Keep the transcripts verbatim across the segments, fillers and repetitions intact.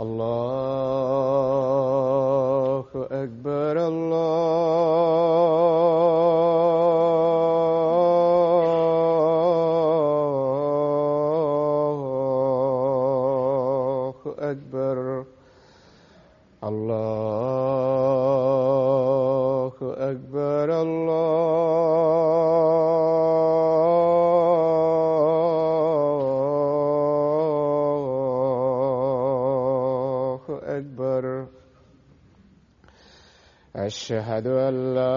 الله أكبر الله أكبر الله أكبر الله أكبر أشهد أن لا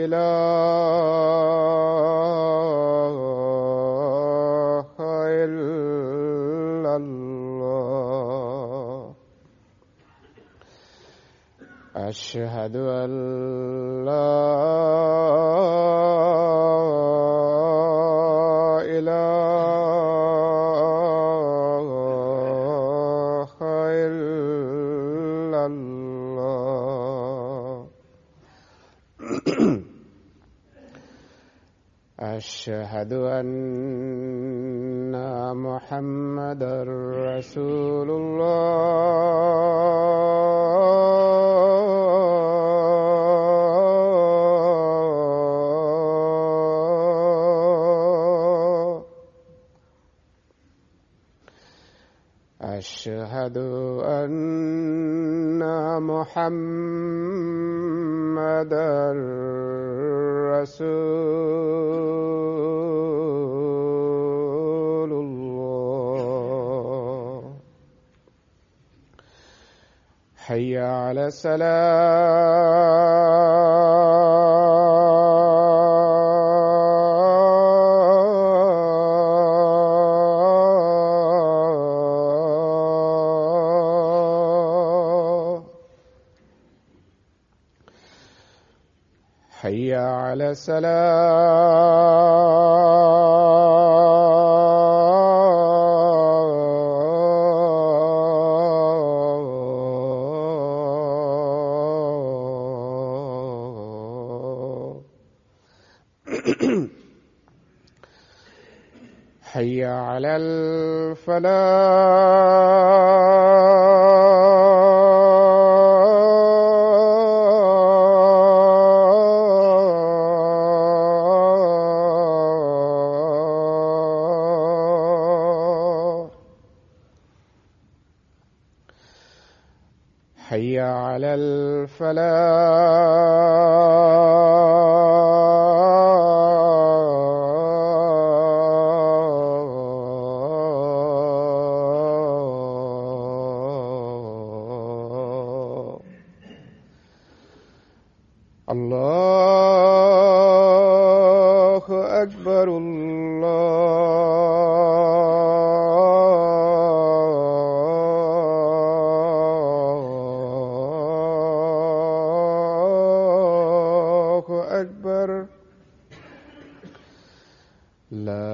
إله إلا الله أشهد أن لا إله إلا الله أشهد أن محمدا رسول الله أشهد أن محمدا رسول الله حي على السلام حي على السلام حي على الفلاح حي على الفلاح الله أكبر الله أكبر لا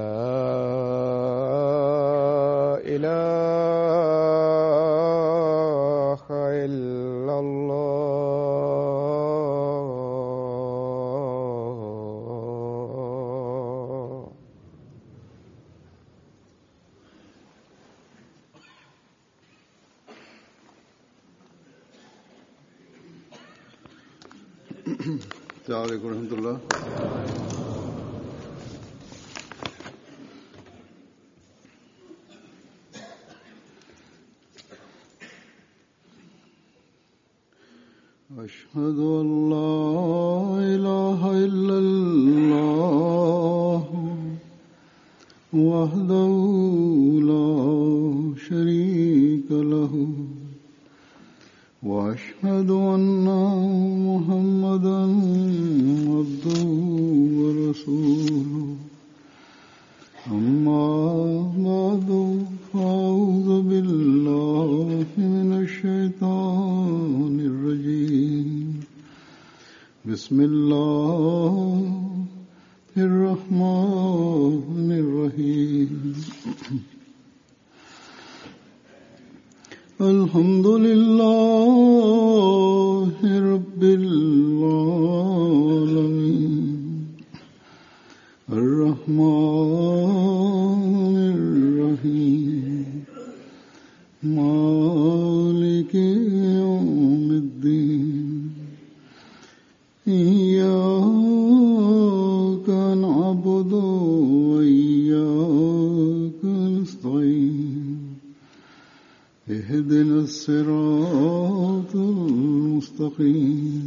إله إلا الله السلام عليكم ورحمة الله. أشهد أن لا إله إلا الله وحده لا شريك له وأشهد أن محمدا عبده ورسوله. أما بعد فأعوذ بالله من الشيطان الرجيم. بسم الله الرحمن الرحيم. الحمد لله رب العالمين الرحمن الرحيم مالك يوم الدين إياك نعبد وإياك نستعين اهدنا الصراط المستقيم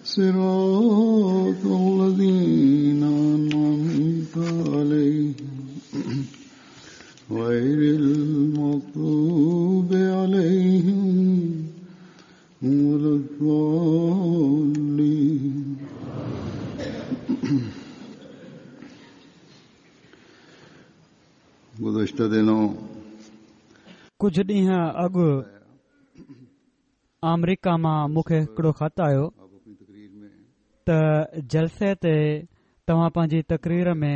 صراط الذين أنعمت عليهم غير المغضوب عليهم ولا الضالين. گزشتہ دنوں ڪجهه ڏينهن اڳ آمريڪا مان مون کي هڪڙو خط آيو ته جلسي تي توهان پنهنجي تقرير ۾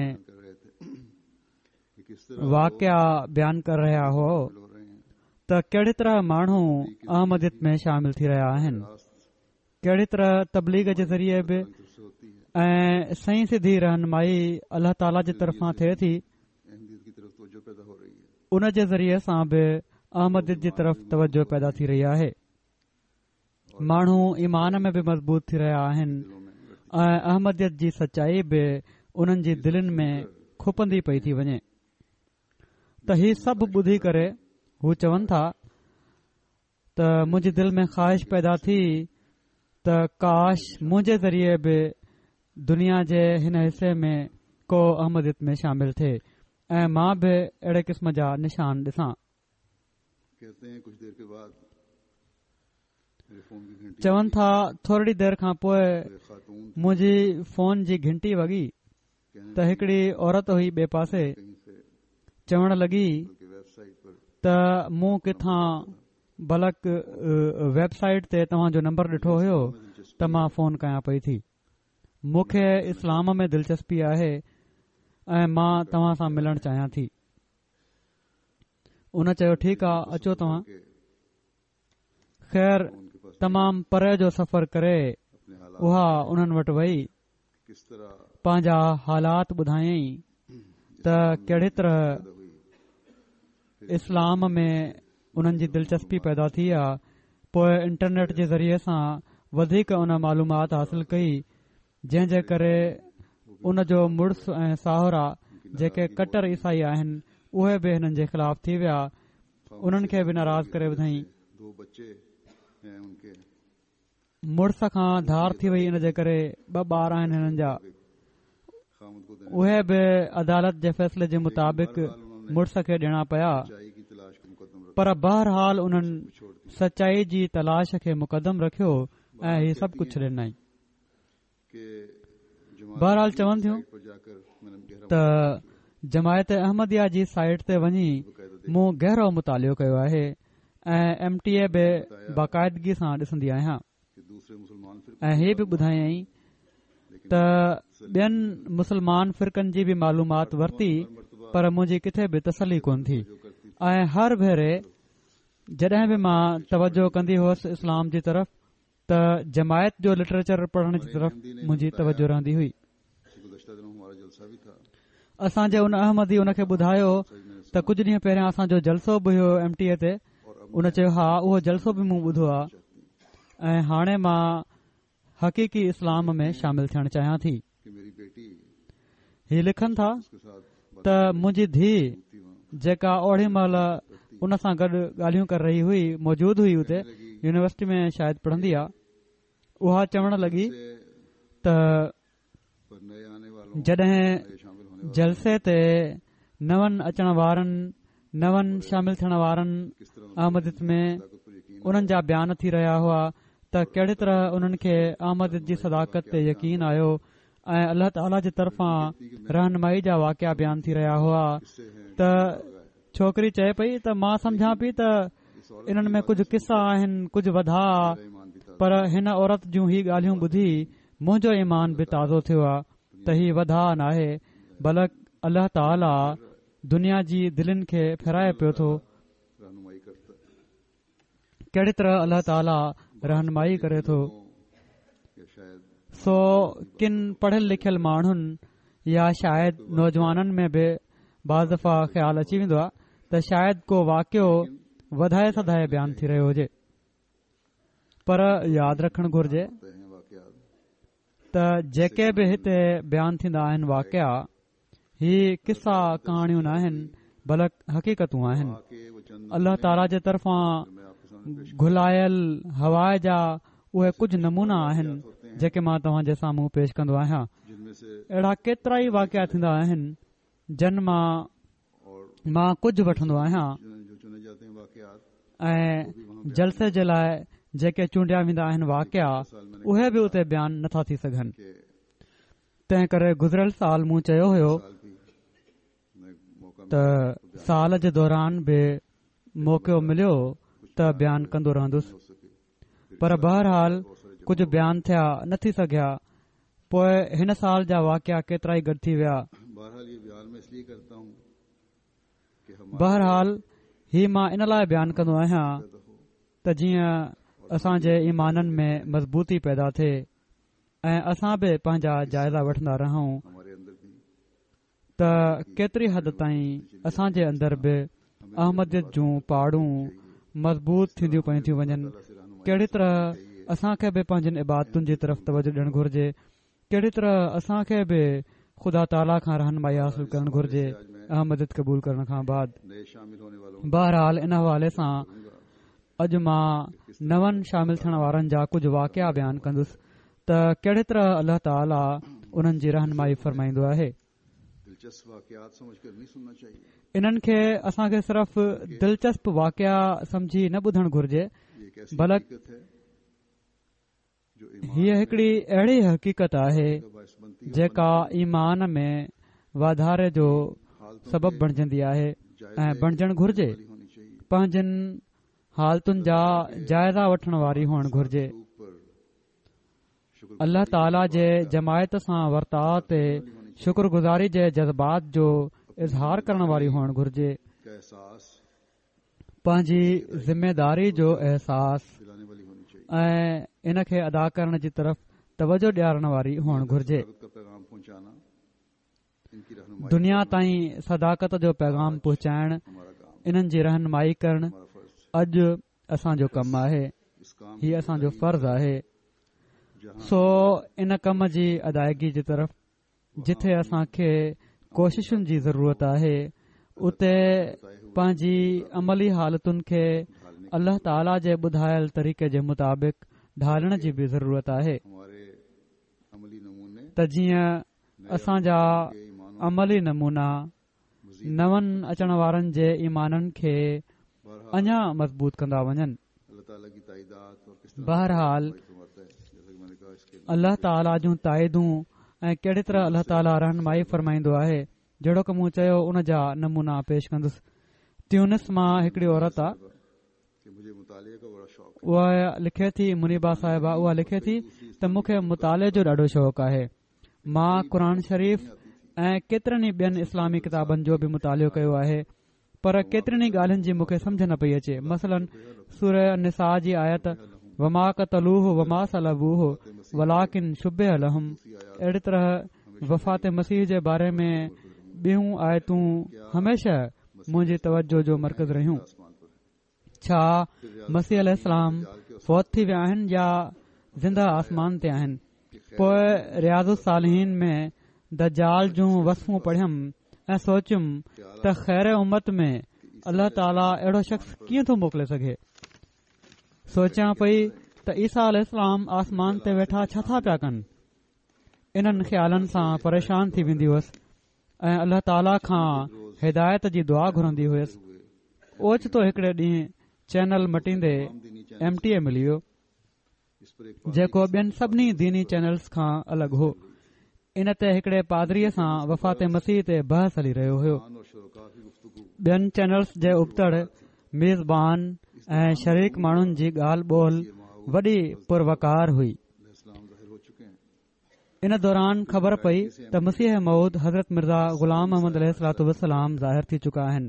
واقعا بيان ڪري رهيا هئو ته ڪهڙي طرح ماڻهو احمديت ۾ شامل ٿي رهيا آهن، ڪهڙي طرح تبليغ جي ذريعي به ۽ صحيح سڌي رهنمائي الله تعاليٰ جي طرفان ٿئي ٿي، ان جي ذريعي سان به احمديت جي طرف توجه پيدا ٿي رهي آهي. ماڻهو ايمان ۾ به مضبوط ٿي رهيا آهن ۽ احمديت جي سچائي به انهن جي دلين ۾ کپندي پئي ٿي وڃي. ته هي سڀ ٻڌي ڪري هو چون ٿا ته منهنجي دل ۾ خواهش پيدا ٿي ته ڪاش منهنجي ذريعي به دنيا جي هن حصي ۾ ڪو احمديت ۾ شامل ٿئي ۽ مان به اهڙي قسم جا نشان ڏسان. چون ٿا ٿورڙي دير کان پوءِ منهنجي فون جي گهنٽي وڳي ته هڪڙي عورت هئي ٻئي پاسي، چوڻ لڳي ته مون ڪٿان بلڪ ويب سائيٽ تي توهان جو نمبر ڏٺو هيو ته مان فون ڪيان پئي ٿي، مون کي اسلام ۾ دلچسپي آهي ۽ مان توهان سان ملڻ چاهيان ٿي. ان چيو ٺيڪ آ اچو توهان. خير تمام پري جو سفر ڪري اها انهن وٽ وئي، پنهنجا حالات ٻڌايائين ته ڪهڙي طرح اسلام ۾ انهن جي دلچسپي پيدا ٿي آ. پوءِ انٽرنيٽ جي ذريعي سان وڌيڪ ان معلومات حاصل ڪئي، جنهن جي ڪري ان جو مڙس ۽ ساهرا جيڪي ڪٽر عيسائي آهن اهي به هنن جي خلاف ٿي ويا، انهن کي به ناراض ڪري وڌائين. مڙس کان ڌار ٿي وئي، ان جي ڪري ٻه ٻار آهن هنن جا، اهي به عدالت جي فيصلي جي مطابق مڙس کي ڏيڻا پيا. پر بهرحال انهن سچائي جي تلاش کي مقدم رکيو ۽ هي سڀ ڪجهه ڇڏي ڏنائين. بهرحال چون ٿيون ته جماعت احمديه جي سائيٽ تي وڃي مون گهرو مطالعو ڪيو آهي ۽ ايم ٽي اي به باقاعدگي سان ڏسندي آهيان. ۽ هي به ٻڌايائين ته ٻين مسلمان فرقن جي به معلومات ورتي پر منهنجي ڪٿي به تسلي ڪونه ٿي ۽ هر ڀيري جڏهن به مان توجه ڪندي هئس اسلام جي طرف ته جماعت جو لٽريچر پڙهڻ جي طرف منهنجي توجه رهندي هئي. اسان جي ان احمدي ان کي ٻڌايو ته ڪجهه ڏينهن پهريان اسان جو جلسو به هيو ايم ٽي اي تي. ان چيو ها اهو جلسو به مون ٻڌو آهي ۽ هاڻي مان حقيقي اسلام ۾ شامل ٿيڻ چاهيان ٿي. هي لکن ٿا ته منهنجي ڌيءُ جيڪا اوڙي مهل ان سان گڏ ڳالهيون ڪري رهي هئي، موجود هئي اتي يونيورسٽي ۾ شايد پڙهندي آ، اها چوڻ لڳي ته جڏهن جلسي تي نون اچڻ وارن نون شامل ٿيڻ وارن احمديت ۾ انهن جا بيان ٿي رهيا هئا ته ڪهڙي طرح انهن کي احمديت جي صداقت تي يقين آيو ۽ الله تعاليٰ جي طرفان رهنمائي جا واقعا بيان ٿي رهيا هئا ته ڇوڪري چئي پئي ته مان سمجهان پئي ته انهن ۾ ڪجهه قصا آهن، ڪجهه وڌاء، پر هن عورت جون هي ڳالهيون ٻڌي منهنجو ايمان به تازو ٿيو آ ته هي وڌاء ناهي بلڪ الله تعاليٰ دنيا جي دلين کي ڦيرائي پيو ٿو. ڪهڙي طرح الله تعاليٰ رهنمائي ڪري ٿو. سو ڪن پڙهيل لکيل ماڻهن يا شايد نوجوانن ۾ به بعض دفعا خيال اچي ويندو آهي ته شايد ڪو واقعو وڌائي سڌائي بيان ٿي رهيو هجي، پر ياد رکڻ گهرجي ته جيڪي به هتي بيان ٿيندا آهن واقعا، هي قصا ڪهاڻيون نه آهن بلڪ حقيقتون آهن. الله تعاليٰ جي طرفان گهلايل هوا جا اهي ڪجهه نمونا آهن جيڪي مان توهان جي سامهون پيش ڪندو آهيان. اهڙا ڪيترا ئي واقعا ٿيندا آهن جن مان مان ڪجهه وٺندو آهيان ۽ جلسي جي لاءِ جيڪي چونڊيا ويندا آهن واقعا، اهي به اتي بيان نٿا ٿي سگهن. تنهن ڪري گذريل سال مون چيو هيو ته سال جي دوران به موقعو مليو ته بيان ڪندو رهندس، پر بهرحال ڪجهه بيان ٿيا نه ٿي سگهيا. پوءِ هن سال جا واقعا ڪيترا ئي گڏ ٿي ويا. بهرحال هي مان ان لاءِ بيان ڪندو آهيان ته جيئن اسان جي ايمانن ۾ مضبوطي پيدا ٿئي ۽ اسان به پنهنجا جائزا وٺندا رهون ته ڪيتري حد تائين اسان جي اندر به احمديت جون پاڙون مضبوط ٿينديون پيون ٿيون وڃن. ڪهڙي طرح اسان کي به پنهنجن عبادتن جي طرف توجه ڏيڻ گهرجي، ڪهڙي طرح اسان کي به خدا تعاليٰ کان رهنمائي حاصل ڪرڻ گهرجي احمديت قبول ڪرڻ کان بعد. بهرحال ان حوالي سان اڄ مان نون شامل ٿيڻ وارن جا ڪجهه واقعا بيان ڪندس ته ڪهڙي طرح الله تعاليٰ انهن جي رهنمائي فرمائيندو آهي. انهن کي اسان کي صرف دلچسپ واقعا سمجهي نه ٻڌڻ گهرجي، بلڪ هيءَ هڪڙي اهڙي حقيقت آهي جيڪا ايمان ۾ واڌاري جو سبب بڻجندي آهي ۽ بڻجڻ گهرجي. پنهنجن حالتن جا جائزا وٺڻ واري هئڻ گهرجي. الله تعاليٰ جي جماعت سان ورتاءُ تي شڪر گذاري جي جذبات جو اظهار ڪرڻ واري هئڻ گهرجي. پنهنجي ذميداري جو احساس ۽ ان کي ادا ڪرڻ جي طرف توجه ڏيارڻ واري هئڻ گهرجي. دنيا تائين صداقت جو پيغام پهچائڻ، انهن جي رهنمائي ڪرڻ اڄ اسان جو ڪم آهي، هي اسان جو فرض آهي. سو ان ڪم جي ادائگي جي طرف جٿي اسان کي ڪوششن جي ضرورت آهي، اتي پنهنجي عملي حالتن کي الله تعاليٰ جي ٻڌايل طريقي جي مطابق ڍالڻ جي به ضرورت آهي ته جيئن اسان جا عملي نمونا نون اچڻ وارن جي ايمانن کي اڃا مضبوط ڪندا وڃن. بهرحال الله تعاليٰ جون تائيدون ۽ ڪهڙي طرح الله تعاليٰ رهنمائي فرمائيندو آهي، جهڙوڪ مون چيو ان جا نمونا پيش ڪندس. تيونس مان هڪڙي عورت آهي، اها لکي ٿي، منيبا صاحبه اها لکي ٿي ته مون کي مطالعي جو ڏاڍو شوق آهي. مان قرآن شريف ۽ ڪيترن ئي ٻين اسلامي ڪتابن جو به مطالعو ڪيو آهي، پر ڪيترين ئي ڳالهين جي مون کي سمجهه نه پئي اچي. مثلاً سوره النساء جي آيت وما قتلوه وما صلبوه ولڪن شبه لهم، اهڙي طرح وفات مسيح جي باري ۾ ٻيون آيتون هميشه منهنجي توجه جو مرڪز رهيون. ڇا مسيح عليه السلام فوت ٿي ويا آهن يا زنده آسمان تي آهن؟ پوءِ رياض الصالحين ۾ دجال جون وصفون پڙهيم ۽ سوچيم ته خير امت ۾ الله تعاليٰ اهڙو شخص ڪيئن ٿو موڪلي سگهي. سوچيان پئي ته عيسيٰ عليه السلام آسمان تي ويٺا ڇا ٿا پيا ڪن. انهن خيالن سان پريشان ٿي ويندي هئس ۽ الله تعاليٰ کان هدايت جي دعا گهرندي هئس. اوچتو هڪڙي ڏينهن چينل مٽيندي ايم ٽي اي ملي ويو، جيڪو ٻين سڀني ديني چينلز کان الڳ هو. ان تي هڪڙي پادريءَ سان وفات مسيح تي بحث هلي رهيو هيو. ٻين چينلز جي ابتڙ ميزبان ۽ شريڪ ماڻهن جي ڳالهه ٻولهه وڏي پروقار هئي. ان دوران خبر پئي ته مسيح موعود حضرت مرزا غلام احمد عليه الصلوة والسلام ظاهر ٿي چڪا آهن.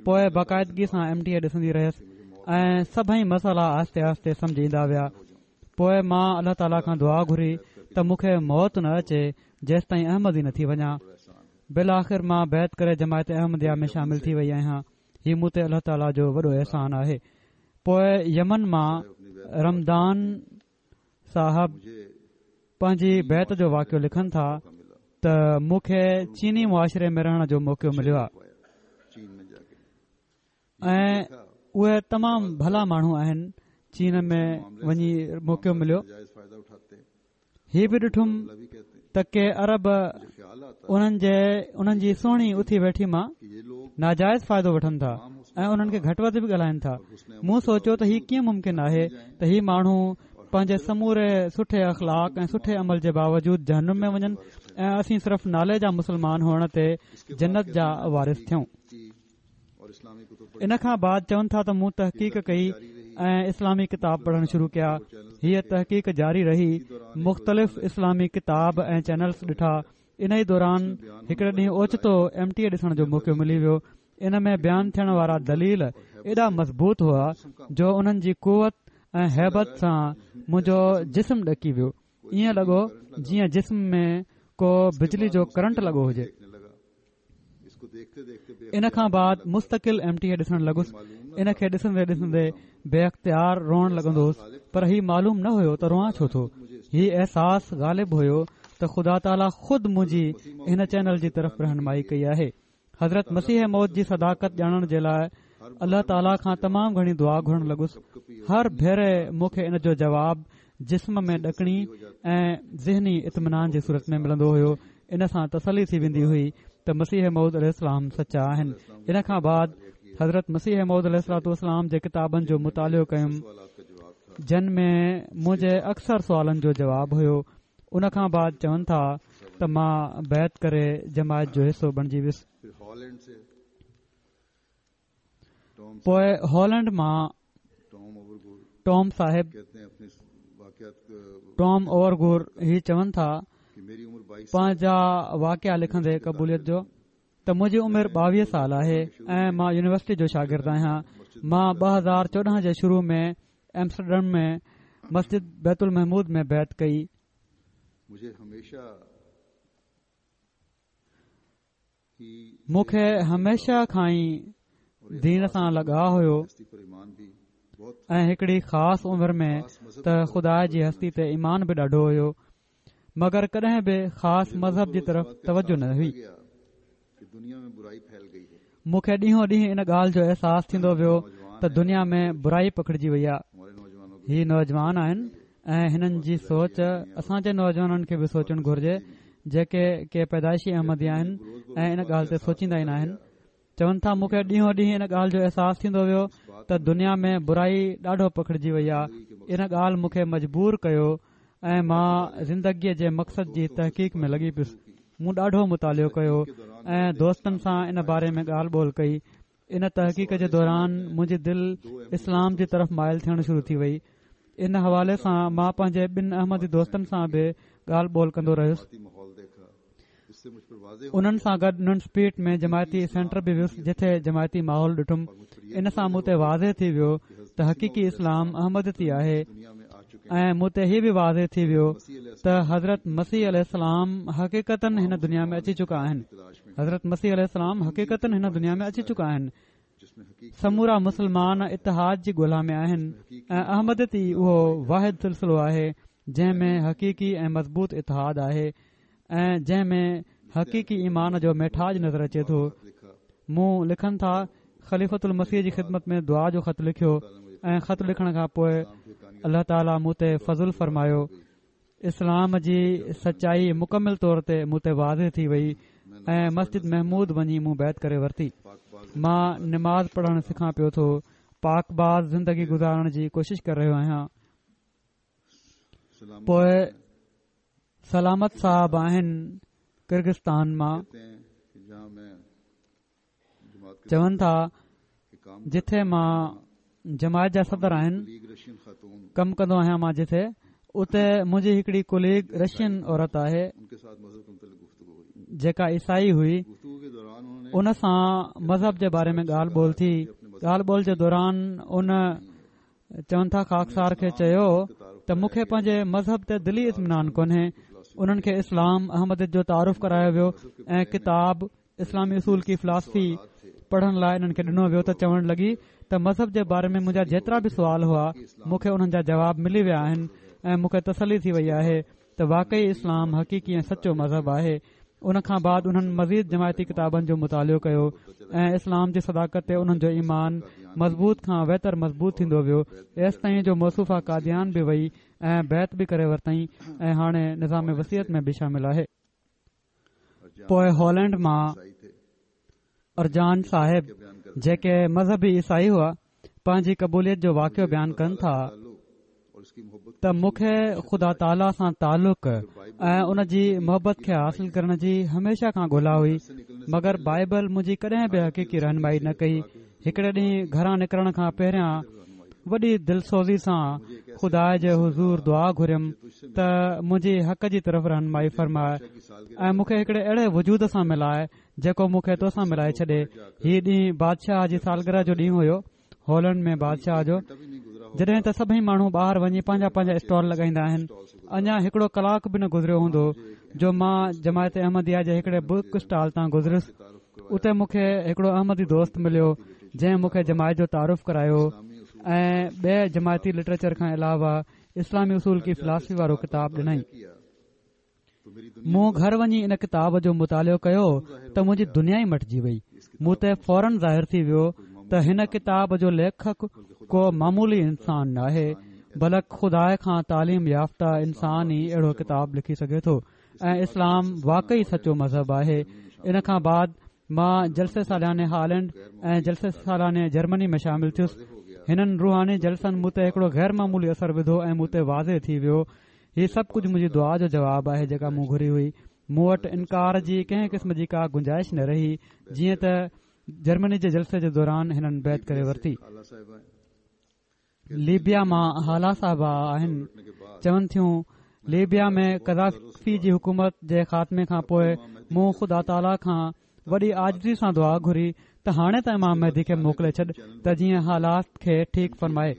پوءِ باقاعدگي سان ايم ٽي اي ڏسندي رهيس. ۽ سڀئي مسئلا آهستي آهستي سمجهه ايندا ويا. پوءِ مان الله تعاليٰ کان دعا گهري ته مون کي موت نه اچي جيستائين احمدي نه ٿي وڃان. بالآخر مان بيعت ڪري جماعت احمديه ۾ شامل ٿي وئي آهيان. هي مون تي الله تعاليٰ جو وڏو احسان آهي. پوءِ يمن مان رمضان صاحب پنهنجي بيعت جو واقعو لکن ٿا ته مون کي چيني معاشري ۾ رهڻ جو موقعو مليو آهي ۽ اهي تمام ڀلا ماڻهو آهن. چين ۾ وڃي موقعو مليو. هي به ڏٺم ته ڪي عرب انهن جي انهن جي سهڻي اٿي ويٺي مان ناجائز فائدو وٺن ٿا ۽ انهن کي گهٽ وڌ به ڳالهائن ٿا. مون سوچيو ته هي ڪيئن ممڪن آهي ته هي ماڻهو پنهنجي سموري سٺي اخلاق ۽ سٺي عمل جي باوجود جهنم ۾ وڃن ۽ اسين صرف نالي جا مسلمان هئڻ تي جنت جا وارث ٿيون. ان کان بعد چون ٿا ته مون تحقيق ڪئي ۽ اسلامي ڪتاب پڙهڻ شروع ڪيا. هيءَ تحقيق جاري رهي. مختلف اسلامي ڪتاب ۽ چينلز ڏٺا. ان ئي دوران هڪڙي ڏينهن اوچتو ايم ٽي اي ڏسڻ جو موقعو ملي ويو. ان ۾ بيان ٿيڻ وارا دليل ايڏا مضبوط هئا جو انهن جي قوت ۽ هيبت سان منهنجو جسم ڏڪي ويو. ائين لڳو جيئن جسم ۾ ڪو بجلي جو ڪرنٽ لڳو هجي. ان کان بعد مستقل ايم ٽي اي ڏسڻ لڳس. ان کي ڏسندي ڏسندي بي اختيار روئڻ لڳندو هوس، پر هي معلوم نه هيو ته روئان ڇو ٿو. هي احساس غالب هيو ته خدا تعاليٰ خود منهنجي هن چينل جي طرف رهنمائي ڪئي آهي. حضرت مسيح موعود جي صداقت ڄاڻڻ جي لاءِ الله تعاليٰ کان تمام گهڻي دعا گهرڻ لڳس. هر ڀيري مون کي ان جو جواب جسم ۾ ڏڪڻي ۽ ذهني اطمينان جي صورت ۾ ملندو هيو. ان سان تسلي ٿي ويندي هئي ته مسيح موعود عليه السلام سچا آهن. ان کان بعد حضرت مسيح موعود عليه الصلوة والسلام جي ڪتابن جو مطالعو ڪيم، جن ۾ منهنجي اڪثر سوالن جو جواب هيو. ان کان بعد چون ٿا ته مان بيعت ڪري جماعت جو حصو بڻجي ويس. پوءِ هالينڊ مان ٽام صاحب ٽام اوورگور هي چون ٿا پنهنجا واقعا لکندي قبوليت جو ته منهنجي عمر ٻاويهه سال آهي ۽ مان يونيورسٽي جو شاگرد آهيان. مان ٻه هزار چوڏهن جي شروع ۾ ايمسٽرڊم ۾ مسجد بيت المحمود ۾ بيعت ڪئي. مون کي هميشه کان ئي دين سان لڳاءُ هيو ۽ هڪڙي خاص عمر ۾ ته خدا جي هستي تي ايمان به ڏاڍو هيو، مگر ڪڏهن به خاص مذهب جي طرف توجه نه هئي. مون کي ڏينهون ڏينهن ان ڳالهه جو احساس ٿيندو ويو ته دنيا ۾ برائي پکڙجي وئي آهي. هي نوجوان آهن ۽ هنن جي سوچ اسان جي نوجوانن کي به سوچڻ گهرجي، جيڪي ڪي پيدائشي احمدي آهن ۽ ان ڳالهه تي سوچيندا ئي نه آهن. چون ٿا مون کي ڏينهون ڏينهن ان ڳالهه جو احساس ٿيندو ويو ته دنيا ۾ برائي ڏاڍو پکڙجي وئي آهي. ان ڳالهه مون کي مجبور ڪيو ۽ مان زندگيءَ جي مقصد جي تحقيق ۾ لڳي پيس. مون ڏاڍو مطالعو ڪيو ۽ دوستن سان ان باري ۾ ڳالهه ٻولهه ڪئي. ان تحقيق جي دوران منهنجي دل اسلام جي طرف مائل ٿيڻ شروع ٿي وئي. ان حوالي سان مان پنهنجي ٻن احمدي دوستن سان به ڳالهه ٻولهه ڪندو رهيس. انهن سان گڏ ننسپيٽ ۾ جماعتي سينٽر به ويس، جتي جماعتي ماحول ڏٺم. ان سان مون تي واضح ٿي ويو ته حقيقي اسلام احمديت ئي آهي ۽ مون تي هي به واضح ٿي ويو ته حضرت مسيح عليه السلام حقيقتن هن دنيا ۾ اچي چڪا آهن. حضرت مسيح عليه السلام حقيقتن هن دنيا ۾ اچي چڪا آهن. سمورا مسلمان اتحاد جي ڳولا ۾ آهن ۽ احمديت ئي اهو واحد سلسلو آهي جنهن ۾ حقيقي ۽ مضبوط اتحاد آهي ۽ جنهن ۾ حقيقي ايمان جو ميٺاج نظر اچي ٿو. مون لکن ٿا خليفة المسيح جي خدمت ۾ دعا جو خط لکيو ۽ خط لکڻ کان پوءِ الله تعاليٰ مون تي فضل فرمايو. اسلام جي سچائي مڪمل طور تي مون تي واضح ٿي وئي ۽ مسجد محمود وڃي مون بيعت ڪري ورتي. مان نماز پڙهڻ سکان پيو ٿو، پاڪ باز زندگي گذارڻ جي ڪوشش ڪري رهيو آهيان. پوءِ سلامت صاحب آهن ڪرغستان مان، چون ٿا جٿي مان جماعت جا صدر آهن، ڪم ڪندو آهيان مان جٿي، اتي منهنجي هڪڙي ڪليگ رشين عورت آهي جيڪا عيسائي هئي. ان سان مذهب جي باري ۾ ڳالهه ٻولهه ٿي. ڳالهه ٻولهه جي دوران ان چون ٿا خاڪسار کي چيو ته مون کي پنهنجي مذهب تي دلي اطمينان ڪونهي. انهن کي اسلام احمديت جو تعارف ڪرايو ويو ۽ ڪتاب اسلامي اصول ڪي فلاسفي پڙهڻ لاءِ انهن کي ڏنو ويو ته چوڻ لڳي ته مذهب جي باري ۾ منهنجا جيترا به سوال هئا مون کي انهن جا جواب ملي ويا آهن ۽ مون کي تسلي ٿي وئي آهي ته واقعي اسلام حقيقي ۽ سچو مذهب آهي. ان کان بعد انهن مزيد جماعتي ڪتابن جو مطالعو ڪيو ۽ اسلام جي صداقت تي انهن جو ايمان مضبوط کان ويتر مضبوط ٿيندو ويو، ايستائين جو موصوفه قاديان به وئي ۽ بيعت به ڪري ورتائين ۽ هاڻي نظام وصيت ۾ به شامل آهي. پوءِ هالينڊ مان ارجان صاحب جيڪي مذهبي عيسائي هئا پنهنجي قبوليت جو واقعو بيان ڪن ٿا ته مون کي خدا تعاليٰ سان تعلق ۽ ان جي محبت کي حاصل ڪرڻ جي هميشه کان ڳولا هئي، مگر بائبل منهنجي ڪڏهن به حقيقي رهنمائي نه ڪئي. هڪڙي ڏينهن گهران نڪرڻ کان پهريان وڏي دلسوزي سان خدا جي حضور دعا گهريم ته منهنجي حق جي طرف رهنمائي فرمائي ۽ مون کي هڪڙي اهڙي وجود سان ملائي جيڪو مون کي توسان ملائي ڇڏي. هي ڏينهن بادشاهه جي سالگرهه جو ڏينهن هيو، هالينڊ ۾ بادشاهه جو، جڏهن ته سڀئي ماڻهو ٻاهر وڃي پنهنجا پنهنجا اسٽال لڳائيندا آهن. اڃا هڪڙو ڪلاڪ به نه گذريو هوندو جو مان جماعت احمديه جي هڪڙي بڪ اسٽال تان گذريس. اتي مون کي هڪڙو احمدي دوست مليو جنهن مون کي جماعت جو تعارف ڪرايو ۽ ٻئي جماعتي لٽريچر کان علاوه اسلامي اصول ڪي فلاسفي وارو ڪتاب ڏنائين. مون گهر وڃي ان ڪتاب جو مطالعو ڪيو ته منهنجي دنيا ئي مٽجي وئي. مون تي فورن ظاهر ٿي ويو ته هن ڪتاب جو ليکڪ ڪو معمولي انسان ناهي، بلڪ خدا کان تعليم يافته انسان ئي اهڙو ڪتاب لکي سگهي ٿو ۽ اسلام واقعي سچو مذهب آهي. ان کان بعد مان جلسي سالياني هالينڊ ۽ جلسي سالياني جرمني ۾ شامل ٿيس. هنن روحاني جلسن مون تي هڪڙو غير معمولي اثر وڌو ۽ مون تي واضح ٿي ويو هي سڀ ڪجهه منهنجي دعا جو جواب آهي جيڪا مون گهري هئي. مون وٽ انڪار جي ڪنهن قسم جي ڪا گنجائش نه رهي، جيئن ته جرمني جي جلسي جي دوران هنن بيعت ڪري ورتي. ليبيا مان هالا صاحبه آهن، چون ٿيون ليبيا ۾ قذافي جي حڪومت جي خاتمي کان پوءِ مون خدا تعاليٰ کان وڏي عاجزي سان دعا گهري ته هاڻي ته امام مهدي کي موڪلي ڇڏ ته جيئن حالات کي ٺيڪ فرمائي.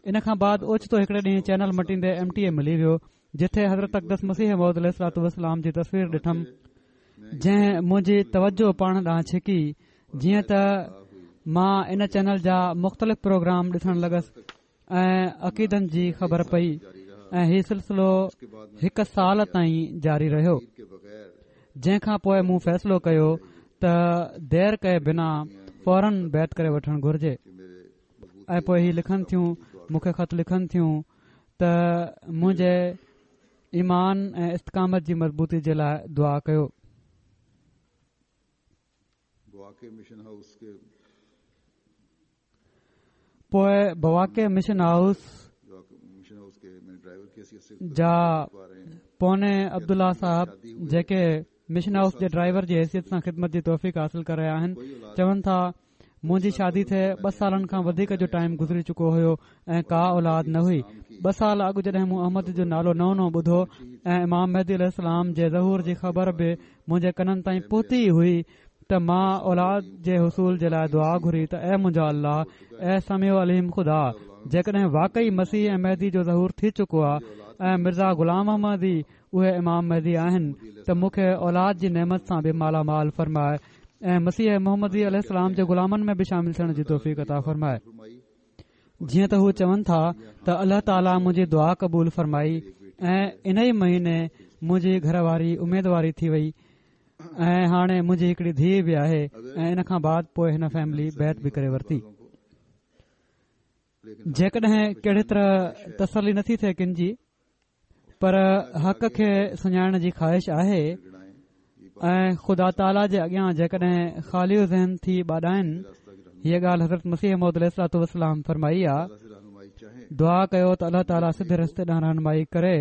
ان کان بعد اوچتو هڪڙي ڏينهن چينل مٽيندي ايم ٽي اي ملي ويو، جتي حضرت اقدس مسيح موعود عليه الصلوة والسلام جي تصوير ڏٺم، جنهن منهنجي توجه پاڻ ڏانهن ڇڪي. جيئن ته مان ان چينل جا مختلف پروگرام ڏسڻ لڳس ۽ عقيدن جي خبر پئي ۽ هي سلسلو هڪ سال تائين جاري رهيو، جنهن کان پوءِ مون فيصلو ڪيو ته دير ڪئي بنا فورن بيعت ڪري وٺڻ گهرجي. ۽ پوءِ هي لکن ٿيون، مون کي خط لکن ٿيون ته منهنجي ايمان ۽ استقامت جي مضبوطي جي لاءِ دعا ڪيو. پوءِ بواقع مشن هائوس جا پوني عبدالله صاحب جيڪي مشن هائوس جي ڊرائيور جي حيثيت سان خدمت جي توفيق حاصل ڪري رهيا آهن، چون ٿا منهنجي شادي ٿئي ٻه سالن کان وڌيڪ جو ٽائيم گذري چڪو هيو ۽ ڪا اولاد نه هئي. ٻه سال اڳ جڏهن مون احمد جو نالو نئون نئون ٻڌو ۽ امام مهدي عليه السلام جي ظهور جي خبر به منهنجي ڪنن تائين پهتي هئي ته مان اولاد جي حصول جي لاءِ دعا گهري ته اي منهنجا الله، اي سميع عليم خدا، جيڪڏهن واقعي مسيح ۽ مهدي جو ظهور ٿي چڪو آهي ۽ مرزا غلام احمد ئي اهي امام مهدي آهن ته مون کي اولاد جي نعمت سان به مالا مال فرمائي ۽ مسيح محمدي عليه السلام جي غلامن ۾ به شامل ٿيڻ جي توفيق عطا فرمائي. جيئن ته هو چون ٿا ته الله تعاليٰ منهنجي دعا قبول فرمائي ۽ ان ئي مهيني منهنجي گهر واري اميدواري ٿي وئي ۽ هاڻي منهنجي هڪڙي ڌيءَ به آهي ۽ ان کان بعد پوءِ هن فيملي بيعت به ڪري ورتي. جيڪڏهن ڪهڙي طرح تسلي نٿي ٿئي ڪن جي، پر حق کي سڃاڻڻ جي خواهش آهي ۽ خدا تعاليٰ جي اڳيان جيڪڏهن خالي ذهن ٿي ٻاڏائن، هيءَ ڳالهه حضرت مسيح موعود عليه الصلوة والسلام فرمائي آ، دعا ڪيو ته الله تعاليٰ سڌي رستي ڏانهن رهنمائي ڪري.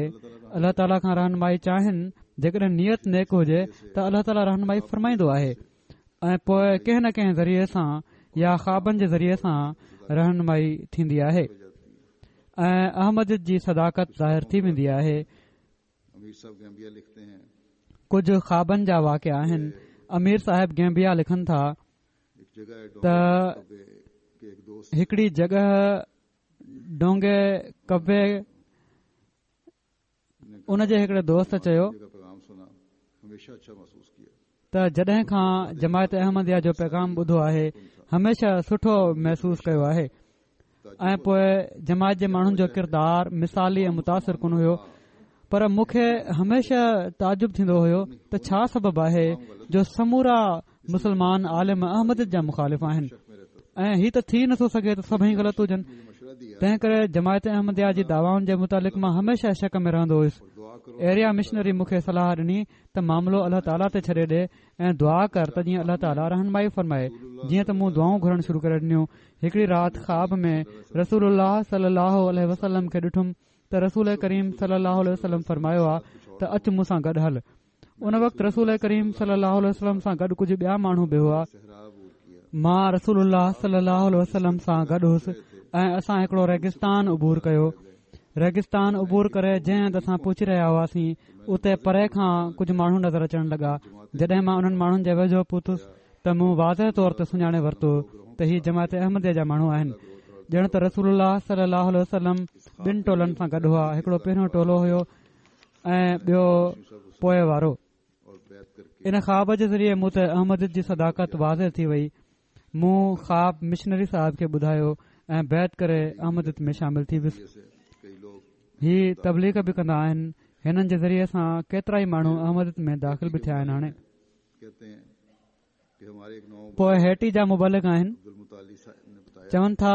الله تعاليٰ کان رهنمائي چاهين، جيڪڏهن نيت نيڪ هجي ته الله تعاليٰ رهنمائي فرمائيندو آهي ۽ پوءِ ڪنهن نه ڪنهن ذريعي سان يا خوابن جي ذريعي سان رهنمائي ٿيندي آهي ۽ احمديت جي صداقت ظاهر ٿي ويندي آهي. ڪجهه خوابن جا واقعا آهن. امير صاحب گيمبيا لکن ٿا ته هڪڙي جڳهه ڊونگي ڪبي ان جي هڪڙي دوست چيو ته جڏهن کان جماعت احمديه جو پيغام ٻڌو آهي هميشه سٺو محسوس ڪيو آهي ۽ پوءِ جماعت جي ماڻهن جو ڪردار مثالي ۽ متاثر ڪن هيو. پر مون کي هميشه تعجب ٿيندو هيو ته ڇا سبب آهي جو سمورا مسلمان عالم احمديت جا مخالف آهن ۽ هي ته ٿي نٿو سگهي ته سڀئي غلط هجن. تنهن ڪري جماعت احمديه جي دعوائن جي متعلق مان هميشه شڪ ۾ رهندو هيس. ايريا مشنري مون کي صلاح ڏني ته معاملو الله تعاليٰ تي ڇڏي ڏي ۽ دعا ڪر ته جيئن الله تعاليٰ رهنمائي فرمائي. جيئن ته مون دعائون گهرڻ شروع ڪري ڏنيون. هڪڙي رات خواب ۾ رسول الله صلي الله عليه وسلم کي ڏٺم ته رسول ڪريم صلي الله عليه وسلم فرمايو آ ته اچ مون سان گڏ هل. ان وقت رسول ڪريم صلي الله عليه وسلم سان گڏ ڪجهه ٻيا ماڻهو به هئا. مان رسول الله صلي الله عليه وسلم سان گڏ هئس ۽ اسان هڪڙو ريگستان عبور ڪيو. ريگستان عبور ڪري جنهن هنڌ اسان پهچي رهيا هئاسين اتي پري کان ڪجهه ماڻهو نظر اچڻ لڳا. جڏهن مان انهن ماڻهن جي ويجهو پهتس ته مون واضح طور تي سڃاڻي ورتو ته هي جماعت احمديه جا ماڻهو آهن. ڄڻ ته رسول الله صلي الله عليه وسلم ٻن ٽولن سان گڏ هئا. هڪڙو پهريون ٽولو هيو ۽ ٻيو پوءِ وارو. ان خواب جي ذريعي مون تي احمديت جي صداقت واضح ٿي وئي. مون خواب مشنري صاحب کي ٻڌايو ۽ بيعت ڪري احمديت ۾ شامل ٿي ويس. هي تبليغ به ڪندا آهن. هنن جي ذريعي سان ڪيترا ئي ماڻهو احمديت ۾ داخل به ٿيا آهن. هاڻي پوءِ هيٽي جا مبلغ آهن. چون ٿا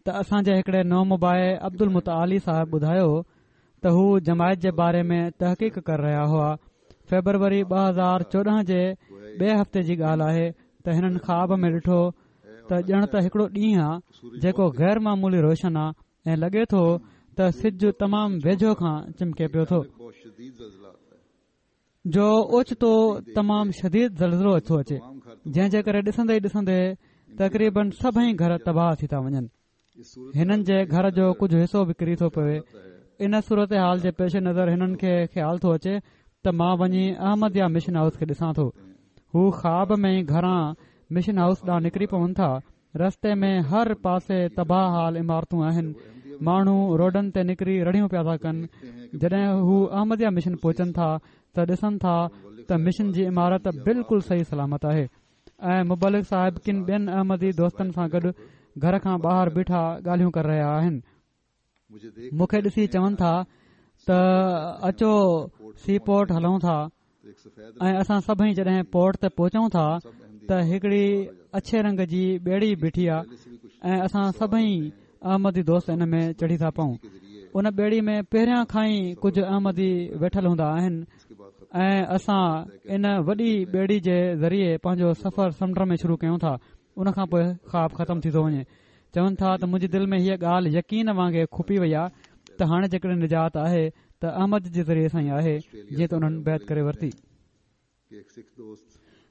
ته اسان جي هڪڙي نومبائع عبد المتعالي صاحب ٻڌايو ته هو جماعت جي باري ۾ تحقيق ڪري رهيا هئا. فيبروري ٻه هزار چوڏهن جي ٻئي هفتي جي ڳالهه آهي ته هنن خواب ۾ ڏٺو ته ڄڻ ته هڪڙو ڏينهن آهي جيڪو غير معمولي روشن آهي ۽ لڳي ٿو ته سج تمام ويجهو کان چمڪي پيو ٿو، جو اوچتو تمام شديد زلزلو ٿو اچي جنهن جي ڪري ڏسندي ئي ڏسندي تقريبن سڀئي گهر تباهه ٿي ٿا وڃن. هنن جي گهر جو ڪجهه حصو به ڪري ٿو پوي. ان صورت حال جي پيش نظر هنن کي خيال ٿو اچي ته مان وڃي احمديه مشن هائوس کي ڏسان ٿو. هو خواب ۾ ئي گهران مشن هائوس ڏانهن نڪري پون ٿا. رستي ۾ هر پاسي تباهه حال عمارتون آهن. ماڻهو روڊن تي نڪري رڙيون پيا ٿا ڪن. جڏهن هو احمديه مشن پهچن ٿا ته ڏسن ٿا ته مشن جي عمارت بلڪل صحيح سلامت آهي ۽ مبلغ صاحب ڪن ٻين احمدي دوستن سان گڏ گهر کان ٻاهر بيٺا ڳالهيون ڪري رهيا آهن. مون کي ڏسي چون ٿا ته اچو سي پورٽ هلون ٿا ۽ اسان سڀئي جڏهن پورٽ تي پهچون ٿا ته هڪڙي اڇي رنگ جي ٻيڙي بيٺي آهي ۽ اسان سڀئي احمدي دوست ان ۾ چڙهي ٿا پئون. ان ٻيڙي ۾ پهريان کان ئي ڪجهه احمدي ويٺل هوندا آهن ۽ اسان ان وڏي ٻيڙي جي ذريعي پنهنجو سفر سمنڊ ۾ شروع ڪيون ٿا. ان کان پوءِ خواب ختم ٿي ٿو وڃي. چون ٿا ته منهنجي دل ۾ هيءَ ڳالهه يقين وانگي کپي وئي آهي ته هاڻي جيڪڏهن نجات آهي ته احمد جي ذريعي سان ئي آهي. جيئن ته انهن بيعت ڪري ورتي.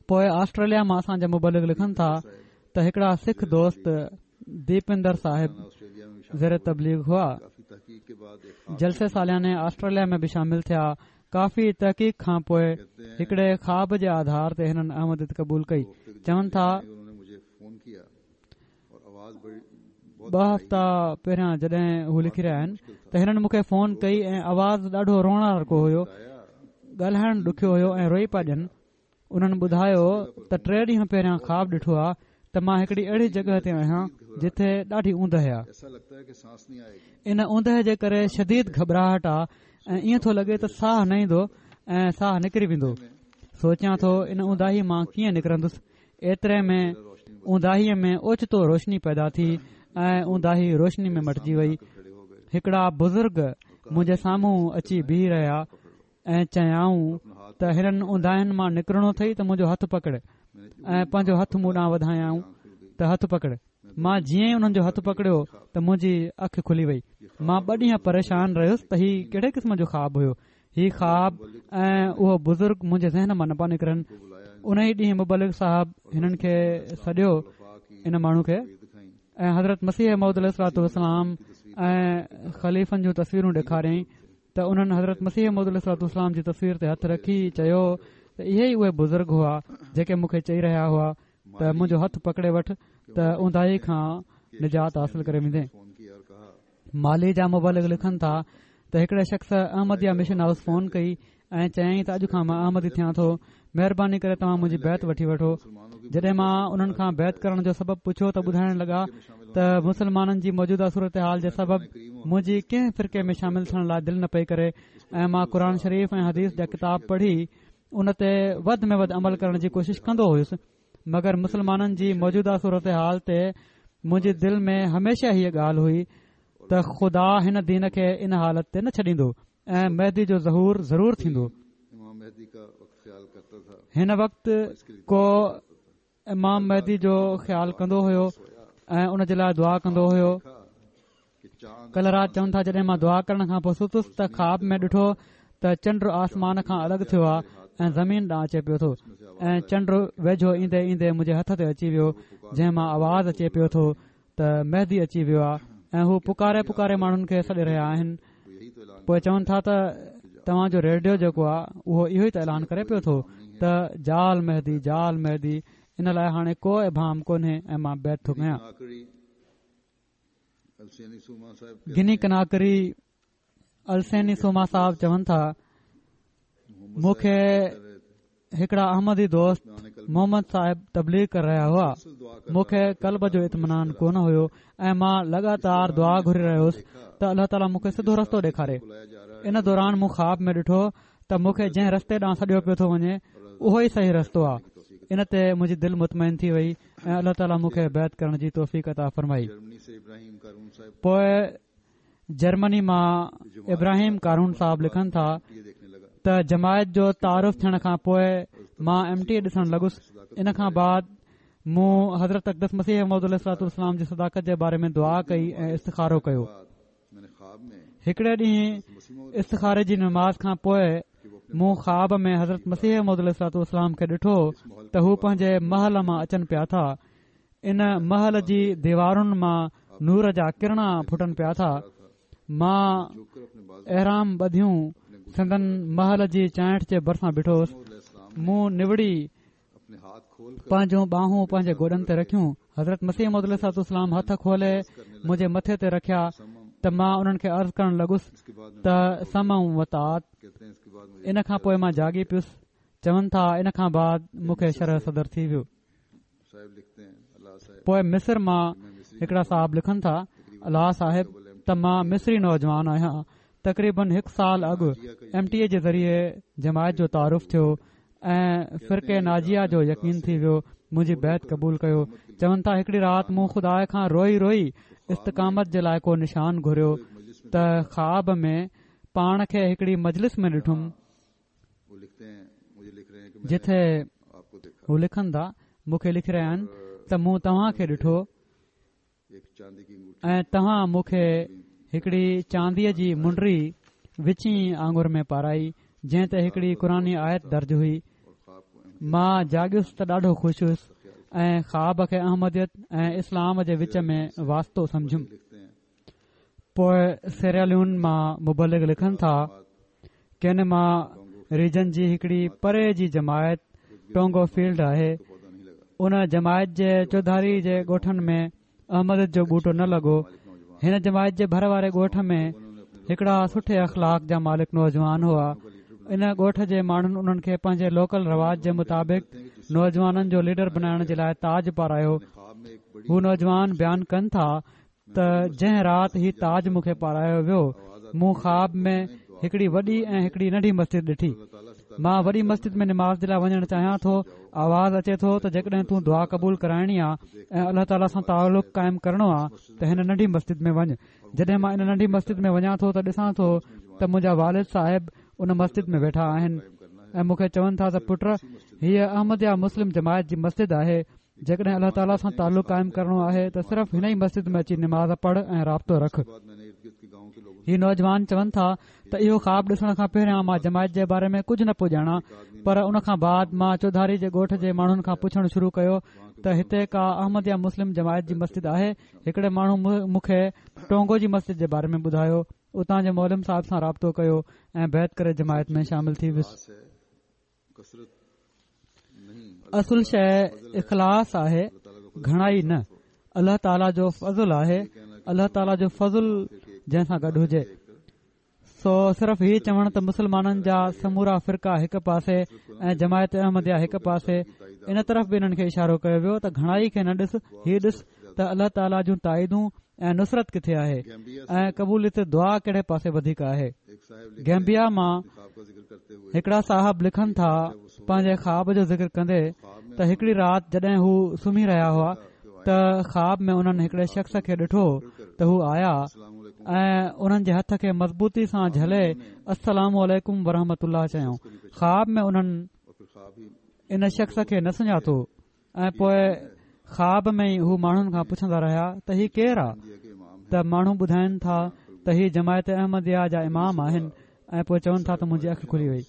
پوءِ آسٽريليا مان اسان جا مبلغ لکن ٿا ته هڪڙا سک دوست ديپندر صاحب زير تبليغ هئا. جلسي سالياني آسٽريليا ۾ به شامل ٿيا. ڪافي تحقيق کان پوءِ هڪڙي خواب جي آڌار تي هنن احمديت قبول ڪئي. چون ٿا ٻه هفتا پهريان جڏهن هو لکي رهيا آهن ته هنن مون کي فون ڪئي ۽ آواز ڏاڍو روئڻهارڪو هيو، ڳالهائڻ ڏکيو هيو ۽ روئي پيا ڏين. انهن ٻڌايو ته ٽي ڏينهن پهريان خواب ڏٺو آهي ته مان هڪڙي اهڙي جڳهه تي آهيان جتي ڏاڍي اوندهه آهي. ان اوندهه جي ڪري شديد گهٻراهٽ آهي ۽ ائين ٿو لڳي ته ساهه نه ايندو ۽ ساهه نڪري ويندو. سوچيان ٿو ان اونداهي مان ڪيئن نڪرندس. ايتري ۾ اونداهيءَ ۾ اوچتو روشني پيدا ٿي ۽ اونداهي روشني ۾ مٽجي وئي. هڪڙا بزرگ منهنجي سامهون اچي بيهي رهيا ۽ چيائون ته هنن اونداهين مان نڪرڻو اٿئي ته منهنجو هٿ پڪڙ، ۽ پنهنجو هٿ مون ڏانهن وڌايائون ته هٿ پڪڙ. مان جيئن ئي انهن جو هٿ پڪڙيو ته منهنجي اک کلي وئي. مان ٻه ڏينهن پريشان رهيس ته هي ڪهڙي قسم جو خواب هيو. هي خواب ۽ اهو بزرگ منهنجي ذهن مان نه پيا نڪرن. ان ئي ڏينهن مبلغ صاحب هنن کي سڏيو، ان ماڻهو کي، ۽ حضرت مسيح موعود عليه الصلوة والسلام ۽ خليفن جون تصويرون ڏيکاريائين ته انهن حضرت مسيح موعود عليه الصلوة والسلام جي تصوير تي هٿ رکي چيو ته اهي ئي اهي بزرگ هئا جيڪي مون کي چئي رهيا هئا ته منهنجو هٿ پڪڙي وٺ ته اونداهي کان نجات حاصل ڪري ويندين. مالي جا مبلغ لکن ٿا ته هڪڙي شخص احمديه مشن هائوس فون ڪئي ۽ چيائين ته اڄ کان مان احمدي ٿيان ٿو، مهرباني ڪري توهان منهنجي بيعت وٺي وٺو. جڏهن مان انهن کان بيعت ڪرڻ جو سبب پڇيو ته ٻڌائڻ لڳا ته مسلمانن جي موجوده صورتحال جي سبب منهنجي ڪنهن فرقي ۾ شامل ٿيڻ لاءِ دل نه پئي ڪري ۽ مان قرآن شريف ۽ حديث جا ڪتاب پڙهي ان تي وڌ ۾ وڌ عمل ڪرڻ جي ڪوشش ڪندو هيس، مگر مسلمانن جي موجوده صورتحال تي منهنجي دل ۾ هميشه هيءَ ڳالهه هئي ته خدا هن دين کي ان حالت تي نه ڇڏيندو ۽ مهدي جو ظهور ضرور ٿيندو. هن وقت ڪو امام مهدي جو خيال ڪندو هيو ۽ ان جي لاءِ دعا ڪندو هيو. ڪلهه رات چون ٿا جڏهن مان دعا ڪرڻ کان پوءِ ستس ته خواب ۾ ڏٺو ته چنڊ آسمان کان الڳ ٿيو آهي ۽ زمين ڏانهن اچي پيو ٿو ۽ چنڊ ويجهو ايندي ايندي منهنجي هٿ تي اچي ويو، جنهن مان آواز اچي پيو ٿو ته مهدي اچي ويو آهي ۽ هو پڪاري پڪاري ماڻهن کي سڏي رهيا آهن. پوءِ چون ٿا ته توهان جو ريڊيو جيڪو آهي اهو اهو ئي ته اعلان ڪري پيو ٿو ته جال مهدي جال مهدي، ان لاءِ هاڻي ڪو ابهام ڪونهي ۽ مان بيعت ٿو ڪيان. گني ڪناڪري السيني سوما صاحب چون ٿا مون کي هڪڙا احمدي دوست محمد صاحب تبليغ ڪري رهيا هئا. مون کي قلب جو اطمينان ڪونه هيو ۽ مان لڳاتار دعا گهري رهيو هوس ته الله تعاليٰ مون کي سڌو رستو ڏيکاري. ان دوران مون خواب ۾ ڏٺو ته مون کي جنهن رستي ڏانهن سڏيو پيو ٿو وڃي اهو ئي صحيح رستو آهي. ان تي منهنجي دل مطمئن ٿي وئي ۽ الله تعاليٰ مون کي بيعت ڪرڻ جي توفيق عطا فرمائي. پوءِ جرمني مان ابراهيم قارون صاحب لکن ٿا ته جماعت جو تعارف ٿيڻ کان پوءِ مان ايم ٽي اي ڏسڻ لڳس. ان کان بعد مون حضرت اقدس مسيح موعود عليه الصلوة والسلام جي صداقت جي باري ۾ دعا ڪئي ۽ استخارو ڪيو. هڪڙي ڏينهن استخاري جي نماز کان پوءِ مون خواب ۾ حضرت مسيح موعود عليه الصلوة والسلام کي ڏٺو ته هو پنهنجي محل مان اچن پيا ٿا. ان محل جي ديوارن مان نور جا ڪرڻا ڦٽن پيا ٿا. مان احرام ٻڌيون سندن محل جي چانئٺ جي ڀرسان بيٺو هوس. مون نوڙي پنهنجون ٻانهون پنهنجي گوڏن تي رکيون. حضرت مسيح موعود عليه الصلوة والسلام هٿ کولي منهنجي مٿي تي رکيا ته مان انهن کي عرض ڪرڻ لڳس ته سمع و طاعت. ان کان پوءِ مان جاڳي پيس. چون ٿا ان کان بعد مون کي شرح صدر ٿي ويو. پوءِ مصر مان هڪڙا صاحب لکن ٿا، الله صاحب ته مان مصري نوجوان آهيان. تقريبن هڪ سال اڳ ايم ٽي اي جي ذريعي جماعت جو تعارف ٿيو ۽ فرقي ناجيه جو يقين ٿي ويو. منهنجي بيعت قبول ڪيو. چون ٿا هڪڙي رات مون خدا کان روئي روئي استقامت جي لاءِ ڪو نشان گهريو ته خواب ۾ پاڻ کي هڪڙي مجلس ۾ ڏٺم جتي هو لکن ٿا، مون کي لکي رهيا آهن ته مون توهان کي ڏٺو ۽ توهان مون کي هڪڙي چانديءَ جي منڊي وچين آڱر ۾ پارائي جنهن تي هڪڙي قرآني آيت درج هئي. مان جاڳيس ته ڏاڍو خوش هيس ۽ خواب کي احمديت ۽ اسلام جي وچ ۾ واسطو سمجهيم. پوءِ سيراليون مان مبلغ لکن ٿا، ڪينما ريجن جي هڪڙي پري جي جماعت ٽونگو فيلڊ آهي. ان جماعت جي چوڌاري جي ڳوٺن ۾ احمديت جو ٻوٽو نه لڳو. هن جماعت جي ڀر واري ڳوٺ ۾ هڪڙا سٺي اخلاق جا مالڪ نوجوان هئا. ان ڳوٺ جي ماڻهن انهن کي پنهنجي لوڪل رواج جي مطابق نوجوانن جو ليڊر بنائڻ جي لاءِ تاج پارايو. هو نوجوان بيان ڪن ٿا ته جنهن رات هي تاج مون کي پارايو ويو، مون خواب ۾ هڪڙي وڏي ۽ هڪڙي ننڍي مسجد ڏٺي. مان وڏي مسجد ۾ نماز جي لاءِ وڃڻ چاهيان ٿو. آواز اچي ٿو ته جيڪڏهن تون دعا قبول ڪرائڻي آهي ۽ الله تعاليٰ سان تعلق قائم ڪرڻو آهي ته هن ننڍي مسجد ۾ وڃ. جڏهن مان ان ننڍي مسجد ۾ وڃان ٿو ته ڏسان ٿو ته منهنجا والد صاحب ان مسجد ۾ ويٺا آهن ۽ مون کي چون ٿا ته پٽ، هيءَ احمديه مسلم جماعت جي مسجد آهي. جيڪڏهن الله تعاليٰ سان تعلق قائم ڪرڻو آهي ته صرف هن ئي مسجد ۾ اچي نماز پڙهه ۽ رابطو رک. هي نوجوان چون ٿا ته اهو خواب ڏسڻ کان پهريان مان جماعت جي باري ۾ ڪجهه نه پيو ڄاڻان، پر ان کان بعد مان چوڌاري جي ڳوٺ جي ماڻهن کان پڇڻ شروع ڪيو ته هتي ڪا احمديه مسلم جماعت جي مسجد آهي. هڪڙي ماڻهو مون کي ٽونگو جي مسجد جي باري ۾ ٻڌايو. اتان جي معلم صاحب سان رابطو ڪيو ۽ بيعت ڪري جماعت ۾ شامل ٿي ويس. اصل شيءِ اخلاص آهي، گهڻائي نه. الله تعاليٰ جو فضل آهي، الله تعاليٰ جو فضل جنهن سان گڏ هجي. سو صرف هي چوڻ ته مسلمانن جا سمورا فرقا هڪ پاسي ۽ جماعت احمديه هڪ پاسي، ان طرف به انهن کي اشارو ڪيو ويو ته گهڻائي کي نه ڏس، هي ڏس ته الله تعاليٰ جون تائيدون ۽ نصرت ڪٿي آهي ۽ قبوليت دعا ڪهڙي پاسي وڌيڪ آهي. گيمبيا مان هڪڙا صاحب لکن ٿا پنهنجي خواب جو ذڪر ڪندي ته هڪڙي رات جڏهن هو سمهي رهيا هئا ته خواب ۾ انهن هڪڙي شخص کي ڏٺو ته هو آيا ۽ انهن جي هٿ کي مضبوطي سان جهلي السلام عليڪم ورحمة الله چيائون. خواب ۾ انهن ان شخص کي نه سڃاتو ۽ پوء خواب ۾ ئي هو ماڻهن کان پڇندا رهيا ته هي ڪير آ؟ ته ماڻهو ٻڌائن ٿا ته هي جماعت احمديه جا امام آهن ۽ پوء چون ٿا ته منهنجي اک کلي وئي.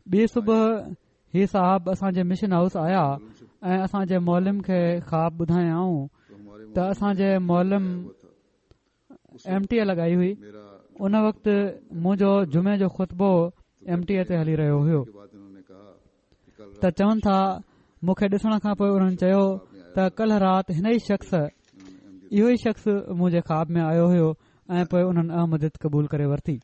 ٻي صبح هي صاحب اسان جي مشن هائوس آيا ۽ اسان جي معلم کي خواب ٻڌايائون ته اسان جي معلم ايم ٽي اي لڳائي هئي. ان وقت منهنجو جمعي جو خطبو ايم ٽي اي تي هلي رهيو هيو. ته چون ٿا مون کي ڏسڻ کان پوءِ انهن چيو ته ڪلهه رات هن ئي شخص اهو ئي شخص منهنجي خواب ۾ آيو هيو ۽ پوءِ انهن احمديت قبول ڪري ورتي.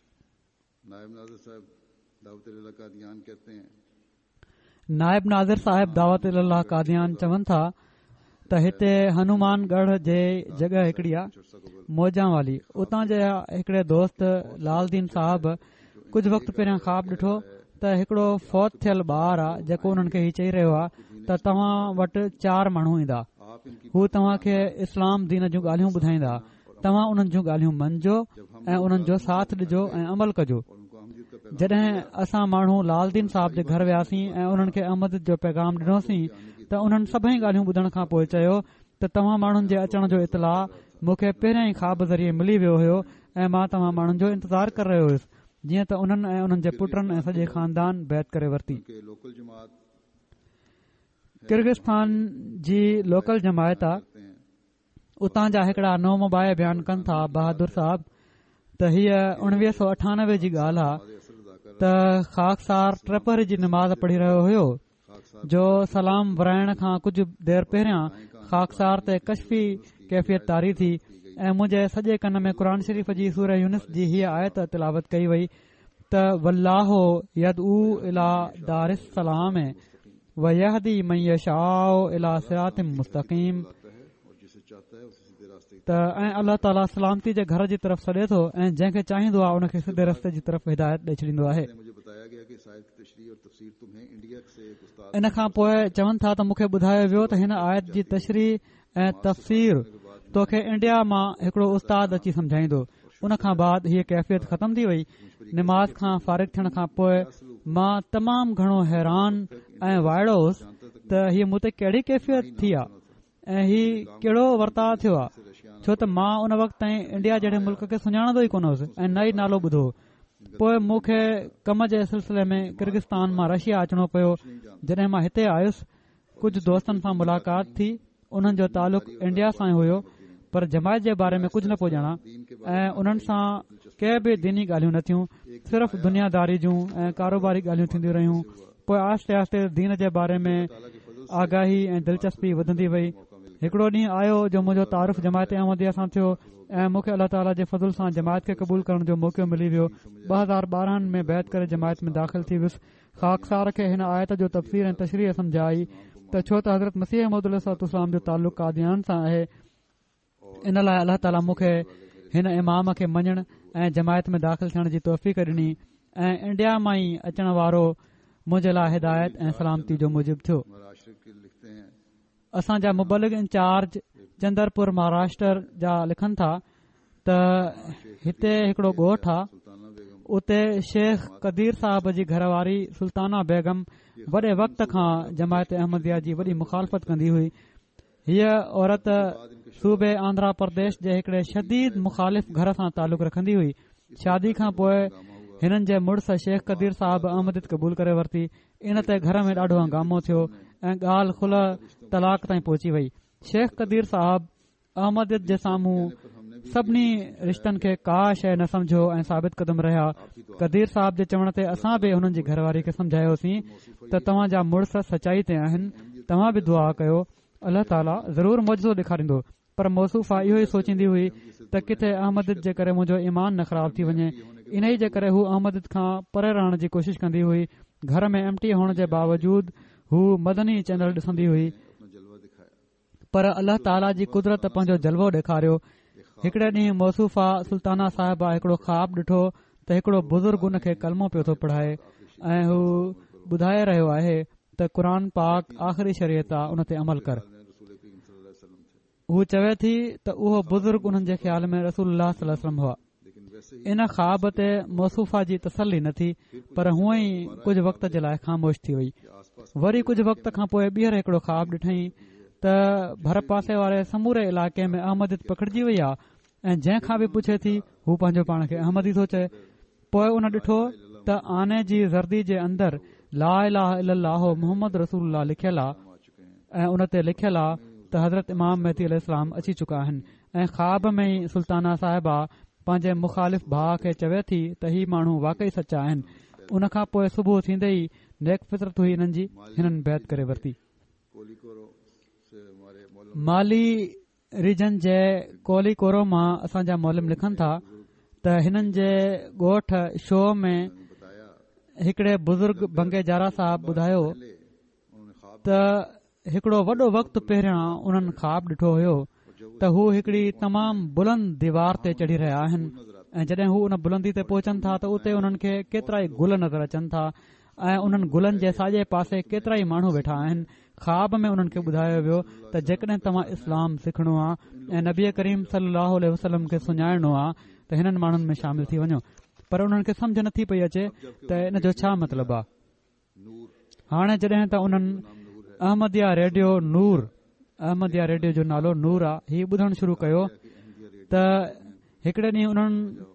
نائب ناظر صاحب دعوت الله قاديان چون ٿا ته هتي هنومان ڳڙهه جي جڳهه هڪڙي آهي موجان والي، اتان جي هڪڙي دوست لال دين صاحب ڪجهه وقت پهريان خواب ڏٺو ته هڪڙو فوت ٿيل ٻار آهي جيڪو انهن کي هي چئي رهيو آهي ته توهان وٽ چار ماڻهو ايندا، هو توهان کي اسلام دين جون ڳالهيون ٻڌائيندا، توهان انهن جون ڳالهيون مڃجو ۽ انهن جو ساٿ ڏجو ۽ عمل ڪجو. جڏهن اسان ماڻهو لال دين صاحب جي گهر وياسين ۽ انهن کي احمديت جو پيغام ڏنوسين ته انهن سڀئي ڳالهيون ٻڌڻ کان پوءِ چيو ته توهان ماڻهن جي اچڻ جو اطلاع مون کي پهريان ئي خواب ذريعي ملي ويو هيو ۽ مان توهان ماڻهن جو انتظار ڪري رهيو هيس، جيئن ته انهن ۽ انهن جي پٽن ۽ سڄي خاندان بيعت ڪري ورتي. ڪرغستان جي لوڪل جماعت آ، اتان جا هڪڙا نومبائع بيان ڪن ٿا بهادر صاحب ته هيءَ اڻويهه سؤ اٺانوي جي ڳالهه آ ته خاڪسار ٽپهري جي نماز پڙهي رهيو هيو جو سلام ورائڻ کان ڪجهه دير پهريان خاڪسار تي ڪشفي ڪيفيت طاري ٿي ۽ منهنجي سڄي ڪن ۾ قرآن شريف جي سوره يونس جي هيءَ آيت تلاوت ڪئي وئي ته والله يدعو الى دار السلام ويهدي من يشاء الى صراط مستقيم. ته ۽ الله تعاليٰ سلامتي جي گهر جي طرف سڏي ٿو ۽ جنهن کي چاهيندو آهي ان کي سڌي رستي جي طرف هدايت ڏئي ڇڏيندو آهي. ان کان پوءِ چون ٿا ته مون کي ٻڌايو ويو ته هن آيت جي تشريح ۽ تفسير توکي انڊيا مان هڪڙو استاد اچي سمجهائيندو. ان کان بعد هيءَ ڪيفيت ختم ٿي وئي. نماز کان فارغ ٿيڻ کان پوءِ مان تمام گهڻو حيران ۽ وائڙو هوس ته هيءَ مون تي ڪهڙي ڪيفيت ٿي آهي ۽ هي ڪهڙو ورتاءُ ٿيو آهي، ڇو ته مان ان وقت تائين انڊيا جهڙي ملڪ کي سڃاڻندو ئي ڪونه هوس ۽ نه ئي نالو ٻڌو. پوءِ مون کي ڪم جي سلسلي ۾ ڪرغستان مان رشيا اچڻو پيو. جڏهن مان هتي آيس ڪجهه دوستن سان ملاقات ٿي، انهن جو تعلق انڊيا سان هيو پر جماعت جي باري ۾ ڪجهه نه پيو ڄاڻان ۽ انهن سان ڪي به ديني ڳالهيون نه ٿيون، صرف دنياداري جون ۽ ڪاروباري ڳالهيون ٿينديون رهيون. پوءِ آهستي آهستي دين جي باري ۾ آگاهي ۽ دلچسپي وڌندي وئي. هڪڙو ڏينهن آيو جو منهنجو تعارف جماعت احمديه سان ٿيو ۽ مون کي الله تعاليٰ جي فضل سان جماعت کي قبول ڪرڻ جو موقعو ملي ويو. ٻه هزار ٻارهن ۾ بيعت ڪري جماعت ۾ داخل ٿي ويس. خاڪسار کي هن آيت جو تفسير ۽ تشريح سمجهه آئي ته ڇو ته حضرت مسيح موعود عليه الصلوة والسلام جو تعلق قاديان سان آهي، ان لاءِ الله تعاليٰ مون کي هن امام کي مڃڻ ۽ جماعت ۾ داخل ٿيڻ جي توفيق ڏني ۽ انڊيا مان ئي اچڻ وارو منهنجي لاءِ هدايت ۽ سلامتي جو موجب ٿيو. اسان جا مبلغ انچارج چندرپور مهاراشٽر جا لکن ٿا ته هتي هڪڙو ڳوٺ آهي، اتي شيخ قدير صاحب جي گهر واري سلطانه بيگم وڏي وقت کان جماعت احمديه جي وڏي مخالفت ڪندي هئي. هيءَ عورت صوبي آنڌرا پرديش جي هڪڙي شديد مخالف گهر سان تعلق رکندي هئي. شادي کان پوءِ هنن جي مڙس شيخ قدير صاحب احمديت قبول ڪري ورتي. ان تي گهر ۾ ڏاڍو هنگامو ٿيو ۽ ڳالهه خلع طلاق تائين پهچي وئي. شيخ قدير صاحب احمديت جي سامهون سڀني رشتن کي ڪا شيءِ نه سمجهيو ۽ ثابت قدم رهيا. قدير صاحب جي چوڻ تي اسان به هنن جي گهر واري کي سمجهايوسين ته توهان جا مڙس سچائي تي آهن، توهان به دعا ڪيو، الله تعاليٰ ضرور معجزو ڏيکاريندو. پر موصوفه اهو ئي سوچيندي هئي ته ڪٿي احمديت جي ڪري منهنجو ايمان نه خراب ٿي وڃي. انهي جي ڪري هو احمديت کان پري رهڻ جي ڪوشش ڪندي هئي. گهر ۾ ايم ٽي هئڻ جي باوجود هو مدني چينل ڏسندي هئي. پر الله تعاليٰ جي قدرت پنهنجو جلوو ڏيکاريو. هڪڙي ڏينهن موصوفه سلطانه صاحبه هڪڙو خواب ڏٺو ته هڪڙو بزرگ ان کي ڪلمو پيو ٿو پڙهائي ۽ هو ٻڌائي رهيو آهي ته قرآن پاڪ آخري شريعت آ، ان تي عمل ڪر. هو چوي ٿي ته اهو بزرگ انهن جي خيال ۾ رسول الله صلي الله عليه وسلم هئا. ان خواب تي موصوفه جي تسلي نه ٿي، پر هونئن ئي ڪجهه وقت جي لاءِ خاموش ٿي وئي. وري ڪجهه وقت کان پوءِ ٻيهر هڪڙو خواب ڏٺائين ته ڀر پاسي واري سموري علائقي ۾ احمديت پکڙجي وئي آهي ۽ جنهن کان به پڇي ٿي هو پنهنجو پاڻ کي احمدي ٿو چئي. پوءِ ان ڏٺو ته آني جي زردي جي اندر لا اله الا الله محمد رسول الله لکيل آهي ۽ ان تي لکيل آهي ته حضرت امام مهدي عليه السلام اچي چڪا آهن. ۽ خواب ۾ ئي سلطانه صاحبه پنهنجي مخالف ڀاءُ کي چوي ٿي ته هي ماڻهو واقعي سچا آهن. ان کان پوءِ صبح ٿيندي ئي نيڪ فطرت هئي انهن جي، هنن بيعت ڪري ورتي. مالي ريجن جي ڪولي ڪورو مان اسان جا معلم لکن ٿا ته هنن جي ڳوٺ شو ۾ هڪڙي بزرگ بنگي جارا صاحب ٻڌايو ته هڪڙو وڏو وقت پهريان انهن خواب ڏٺو هيو ته هو هڪڙي تمام بلند ديوار تي چڙهي رهيا آهن ۽ جڏهن هو ان بلندي تي پهچن ٿا ته اتي انهن کي ڪيترائي گل نظر اچن ٿا ۽ انهن گلن جي ساڄي پاسي ڪيترائي ماڻهو ويٺا آهن. خواب ۾ انهن کي ٻڌايو ويو ته جيڪڏهن توهان اسلام سکڻو آهي ۽ نبي ڪريم صلي الله عليه وسلم کي سڃاڻڻو آهي ته هنن ماڻهن ۾ شامل ٿي وڃو. پر انهن کي سمجهه نٿي پئي اچي ته ان جو ڇا مطلب آهي. هاڻي جڏهن ته انهن احمديه ريڊيو نور، احمديه ريڊيو جو نالو نور آهي، هي ٻڌڻ شروع ڪيو ته هڪڙي ڏينهن انهن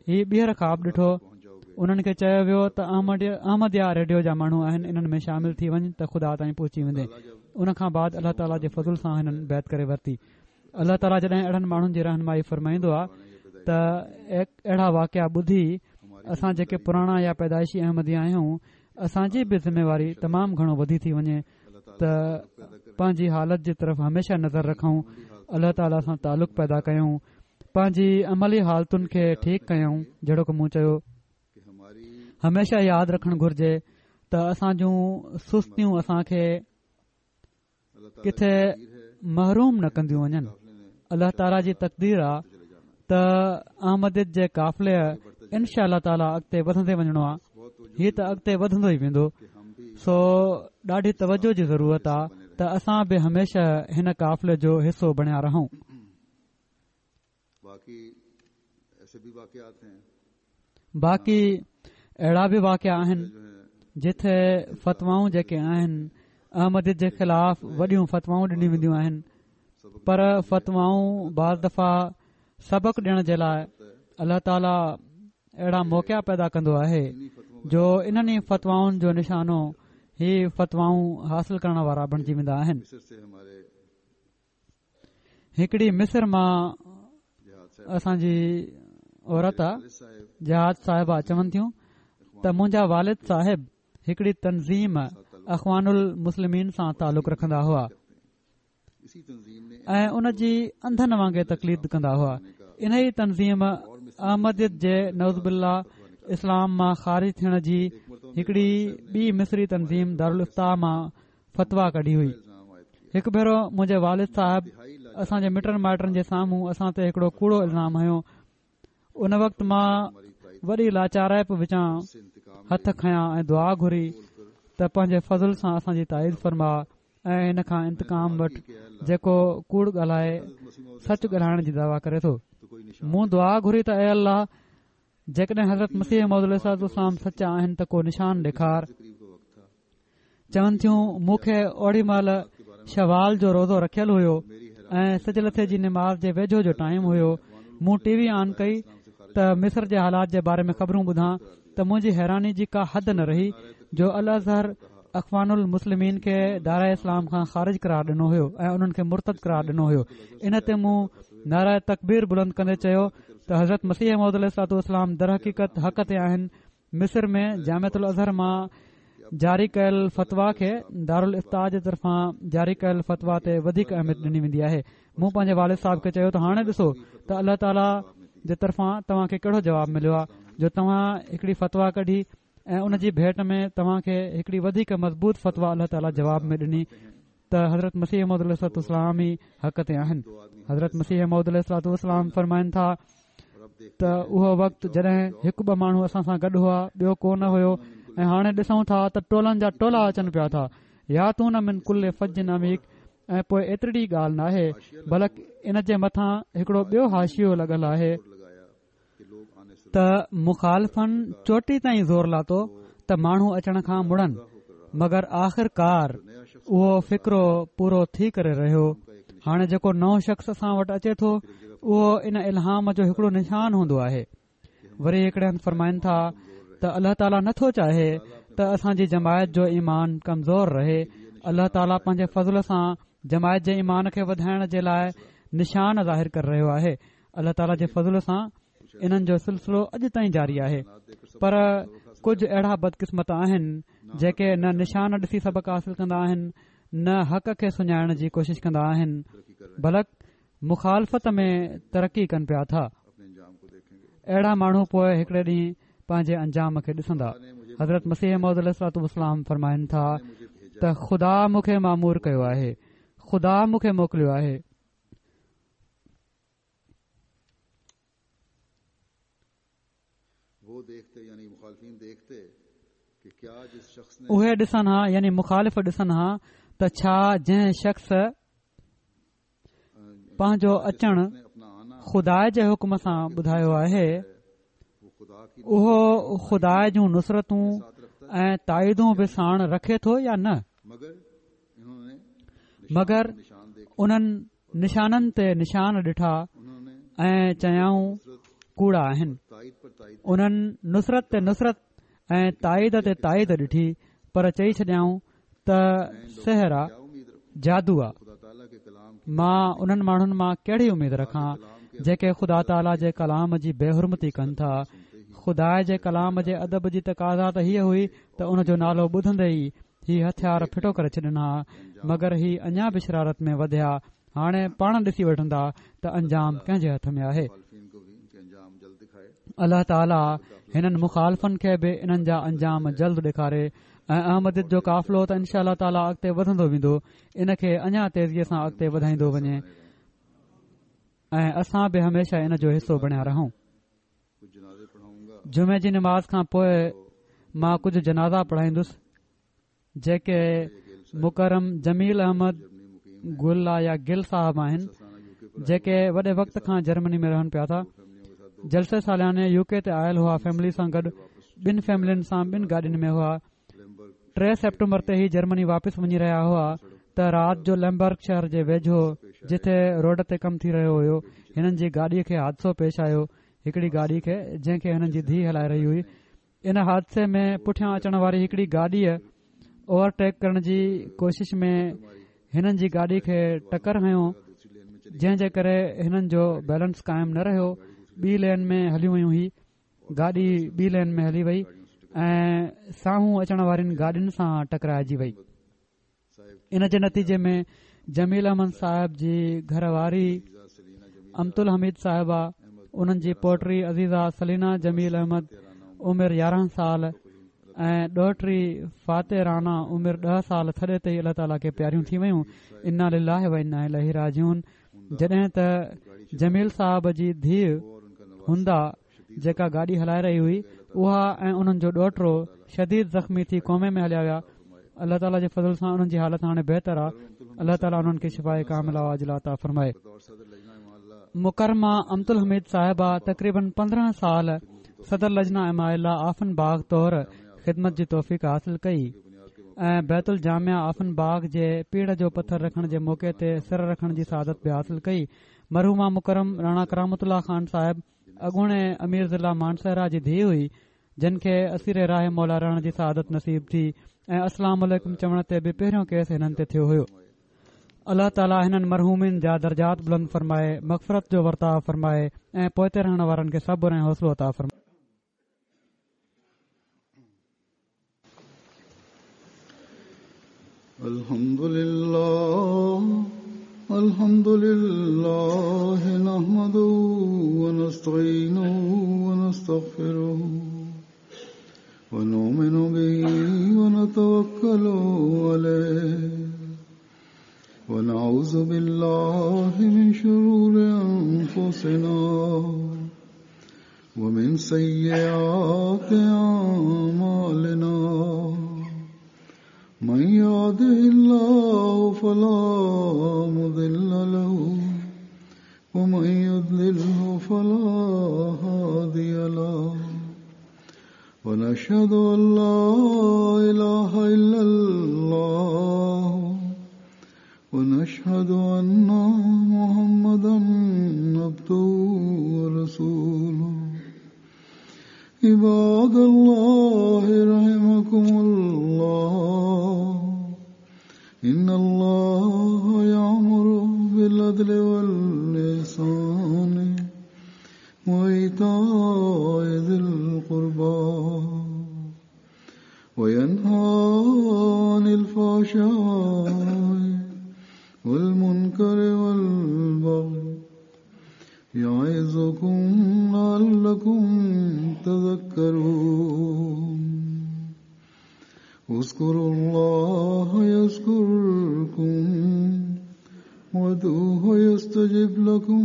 هي ٻيهر خواب ڏٺو. انهن کي چيو ويو ته احمديه ريڊيو جا ماڻهو آهن، انهن ۾ شامل ٿي وڃ ته خدا تائين پهچي ويندين. ان کان بعد الله تعاليٰ جي فضل سان هنن بيعت ڪري ورتي. الله تعاليٰ جڏهن اهڙن ماڻهن جي رهنمائي فرمائيندو آهي ته اهڙا واقعا ٻڌي اسان جيڪي پراڻا يا پيدائشي احمدي آهيون، اسان جي به ذميواري تمام گهڻو وڌي ٿي وڃي ته پنهنجي حالت جي طرف هميشه نظر رکون، الله تعاليٰ سان تعلق پيدا ڪيون، پنهنجي عملي حالتن کي ٺيڪ ڪيون. جهڙوڪ مون چيو، هميشه ياد رکڻ گهرجي ته اسان جون سستيون اسان کي ڪٿي محروم نه ڪنديون وڃن. الله تعاليٰ جي تقدير آهي ته احمديت جي قافلي انشاء الله تعاليٰ اڳتي وڌندي وڃڻو آهي. هي ته اڳتي وڌندو ئي ويندو. سو ڏاڍي توجه جي ضرورت آهي ته اسان به هميشه هن قافلي جو حصو بڻيا رهون. باقي اهڙا به واقعا آهن جتي فتوائون جيڪي آهن احمديت جي خلاف وڏيون فتوائون ڏنيون وينديون آهن، پر فتوائون بعض دفعا سبق ڏيڻ جي لاءِ الله تعاليٰ اهڙا موقعا پيدا ڪندو آهي جو انهن ئي فتوائن جو نشانو هي فتوائون حاصل ڪرڻ وارا بڻجي ويندا آهن. هڪڙي مصر مان اسان جي عورت جهاد صاحبه چون ٿيون ته منهنجا والد صاحب هڪڙي تنظيم اخوان المسلمين سان تعلق رکندا هئا ۽ ان جي انڌن وانگي تقليد ڪندا هئا. ان ئي تنظيم احمديت جي نعوذ بالله اسلام مان خارج ٿيڻ جي هڪڙي ٻي مصري تنظيم دارالافتا مان فتويٰ ڪڍي هئي. هڪ ڀيرو منهنجي والد صاحب اسان جي مٽن مائٽن جي سامهون اسان تي هڪڙو ڪوڙو الزام هنيو. ان وقت مان وڏي لاچارائپ وچان هٿ کنيا ۽ دعا گهري ته پنهنجي فضل سان اسان جي تائيد فرما ۽ هن کان انتقام وٺ جيڪو ڪوڙ ڳالهائي سچ ڳالهائڻ جي دعويٰ ڪري ٿو. مون دعا گهري ته اي الله، جيڪڏهن حضرت مسيح موعود عليه الصلوة والسلام سچا آهن ته ڪو نشان ڏيکار. چون ٿيون مون کي اوڏي مهل شوال جو روزو رکيل هيو ۽ سج لٿي جي نماز جي ويجهو جو ٽائيم هيو. مون ٽي وي آن ڪئي ته مصر جي حالات جي باري ۾ خبرون ٻڌان ته منهنجي حيراني جي ڪا حد نه رهي جو الازهر اخوان المسلمين کي دائره اسلام کان خارج قرار ڏنو هيو ۽ انهن کي مرتد قرار ڏنو هيو. ان تي مون نعره تڪبير بلند ڪندي چيو ته حضرت مسيح موعود عليه الصلوة والسلام درحقيقت حق تي آهن. مصر ۾ جامعة الازهر مان جاري ڪيل فتويٰ کي دارالافتا جي طرفان جاري ڪيل فتويٰ تي وڌيڪ اهميت ڏني ويندي آهي. مون پنهنجي والد صاحب کي چيو ته هاڻي ڏسو ته الله تعاليٰ جي طرفان توهان کي ڪهڙو جواب مليو آهي جو توهان هڪڙي فتويٰ ڪڍي ۽ ان جي ڀيٽ ۾ توهان کي هڪڙي وڌيڪ مضبوط فتويٰ الله تعاليٰ جواب ۾ ڏني ته حضرت مسيح موعود عليه الصلوة والسلام ئي حق تي آهن. حضرت مسيح موعود عليه الصلوة والسلام فرمائن ٿا ته اهو وقت جڏهن هڪ ٻه ماڻهو اسان سان گڏ هئا، ٻيو ڪو نه هيو، ۽ هاڻي ڏسون ٿا ته ٽولن جا ٽولا اچن پيا ٿا. ياتون من ڪل فج عميق. ۽ پوء ايتري ڳالهه ناهي بلڪ ان جي مٿان هڪڙو ٻيو حاشيو لڳل آهي ته مخالفن چوٽي تائين زور لاتو ته ماڻهو اچڻ کان مڙن، مگر آخرڪار اهو فقرو پورو ٿي ڪري رهيو. هاڻي جيڪو نئون شخص اسان وٽ اچي ٿو اهو ان الهام جو هڪڙو نشان هوندو آهي. وري هڪڙي هنڌ فرمائن ٿا ته الله تعاليٰ نٿو چاهي ته اسان جي جماعت جو ايمان ڪمزور رهي. الله تعاليٰ پنهنجي فضل سان جماعت جي ايمان کي وڌائڻ جي لاء نشان ظاهر ڪري رهيو آهي. الله تعاليٰ جي فضل سان انهن جو سلسلو اڄ تائين جاري آهي، پر ڪجهه اهڙا بدقسمت آهن جيڪي نه نشان ڏسي سبق حاصل ڪندا آهن نه حق کي سڃاڻڻ جي ڪوشش ڪندا آهن، بلڪ مخالفت ۾ ترقي ڪن پيا ٿا. اهڙا ماڻهو پوءِ هڪڙي ڏينهن پنهنجي انجام کي ڏسندا. حضرت مسيح موعود عليه الصلوة والسلام فرمائن ٿا ته خدا مون کي مامور ڪيو آهي، خدا مون کي موڪليو آهي. اهي ڏسن ها، يعني مخالف ڏسن ها ته ڇا جنهن شخص پنهنجو اچڻ خدا جي حڪم سان ٻڌايو آهي اهو خدا جون نصرتون ۽ تائيدون به ساڻ رکي ٿو يا نه؟ مگر انهن نشانن تي نشان ڏٺا ۽ چيائون ڪوڙا آهن. انهن نصرت تي نصرت ۽ تائيد تي تائيد ڏٺي، پر چئي ڇڏيائون ته سحر آ، جادو آ. مان انهن ماڻهن مان ڪهڙي اميد رکان جيڪي خدا تعاليٰ جي ڪلام جي بي حرمتي ڪن ٿا؟ خدا جي ڪلام جي ادب جي تقاضا ته هيءَ هئي ته ان جو نالو ٻڌندي ئي هي هٿيار ڦٽو ڪري ڇڏن ها، مگر هي اڃا به شرارت ۾ وڌيا. هاڻي پاڻ ڏسي وٺندا ته انجام ڪنهن جي هٿ ۾ آهي. الله تعاليٰ هنن مخالفن کي به انهن جا انجام جلد ڏيکاري ۽ احمديت جو قافلو ته انشاء الله تعاليٰ اڳتي وڌندو ويندو، ان کي اڃا تيزيءَ سان اڳتي وڌائيندو وڃي ۽ اسان به هميشه ان جو حصو بڻيا رهون. جمعي جي نماز کان پوءِ مان ڪجهه جنازا پڙهائيندس جيڪي مڪرم جميل احمد گل يا گل صاحب آهن، جيڪي وڏي وقت کان جرمني ۾ رهن پيا ٿا. جلسي سالياني يو ڪي تي آيل هئا، فيملي سان گڏ ٻن فيملين سان ٻن گاڏين ۾ هئا. ٽي سيپٽمبر تي هي جرمني واپس وڃي رهيا هئا ته رات جو ليمبرگ شهر جي ويجهو جتي روڊ تي ڪم ٿي رهيو هيو هنن جي گاڏيءَ کي حادثو پيش آيو. هڪڙي گاڏي کي جنهن کي هنن جي ڌيءَ هلائي رهي هئي. ان حادثي ۾ پٺيان اچڻ واري هڪڙي گاڏيءَ اوورٽيڪ ڪرڻ جي ڪوشش ۾ هنن جي گاڏي کي ٽڪر هنيو، جنهن جي ڪري هنن جو بيلنس قائم نه رهيو. ٻي لين ۾ هليون ويون، هي گاڏي ٻي لين ۾ هلي وئي ۽ سامهون اچڻ وارين گاڏين سان ٽڪرائجي وئي. ان جي نتيجي ۾ جميل احمد صاحب جي گهر واري امت الحميد صاحبه، انهن جي پوٽي عزيزه سلينا جميل احمد عمر يارهن سال ۽ ڏوهٽي فاتح رانا عمر ڏهه سال ٿڏي تي ئي الله تعاليٰ کي پياريون ٿي ويون. انا لله و انا اليه راجعون. جڏهن ته جميل صاحب جي ڌيءَ هندا جيڪا گاڏي هلائي رهي هئي اها ۽ انهن جو ڏوهٽو شديد زخمي ٿي ڪومي ۾ هليا ويا. الله تعاليٰ جي فضل سان انهن جي حالت هاڻي بهتر آهي. الله تعاليٰ انهن کي شفاءِ ڪامله عاجله عطا فرمائي. مڪرمه امت الحميد صاحبه تقريبن پندرهن سال صدر لجنه اماء الله آفن باغ طور خدمت جي توفيق حاصل ڪئي ۽ بيت الجامعه آفن باغ جي پيڙهه جو پٿر رکڻ جي موقعي تي سر رکڻ جي سعادت به حاصل ڪئي. مرحومه مڪرم راڻا ڪرامت الله خان صاحب اڳوڻي امير ضلع مانسهرا جي ڌيءَ هئي، جن کي اسير راهه مولا رهڻ جي سعادت نصيب ٿي ۽ السلام عليڪم چوڻ تي به پهريون ڪيس هنن تي ٿيو هيو. الله تعاليٰ هنن مرحومين جا درجات بلند فرمائي، مغفرت جو ورتاءُ فرمائي ۽ پوئتي رهڻ وارن کي صبر ۽ حوصلو عطا فرمائي. الحمد لله الحمد لله نحمده ونستعينه ونستغفره ونؤمن به ونتوكل عليه ونعوذ بالله من شرور أنفسنا ومن سيئات أعمالنا من يهده الله فلا مضل له ومن يضلله فلا هادي له ونشهد أن لا إله إلا الله ونشهد أن محمدا عبده ورسوله. عباد الله رحمكم الله، إن الله يأمر بالعدل والإحسان وإيتاء ذي القربى وينهى عن الفحشاء والمنكر والبغي يعظكم لعلكم تذكرون. اذكروا الله يذكركم وادعوه يستجب لكم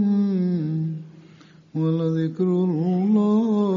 ولذكر الله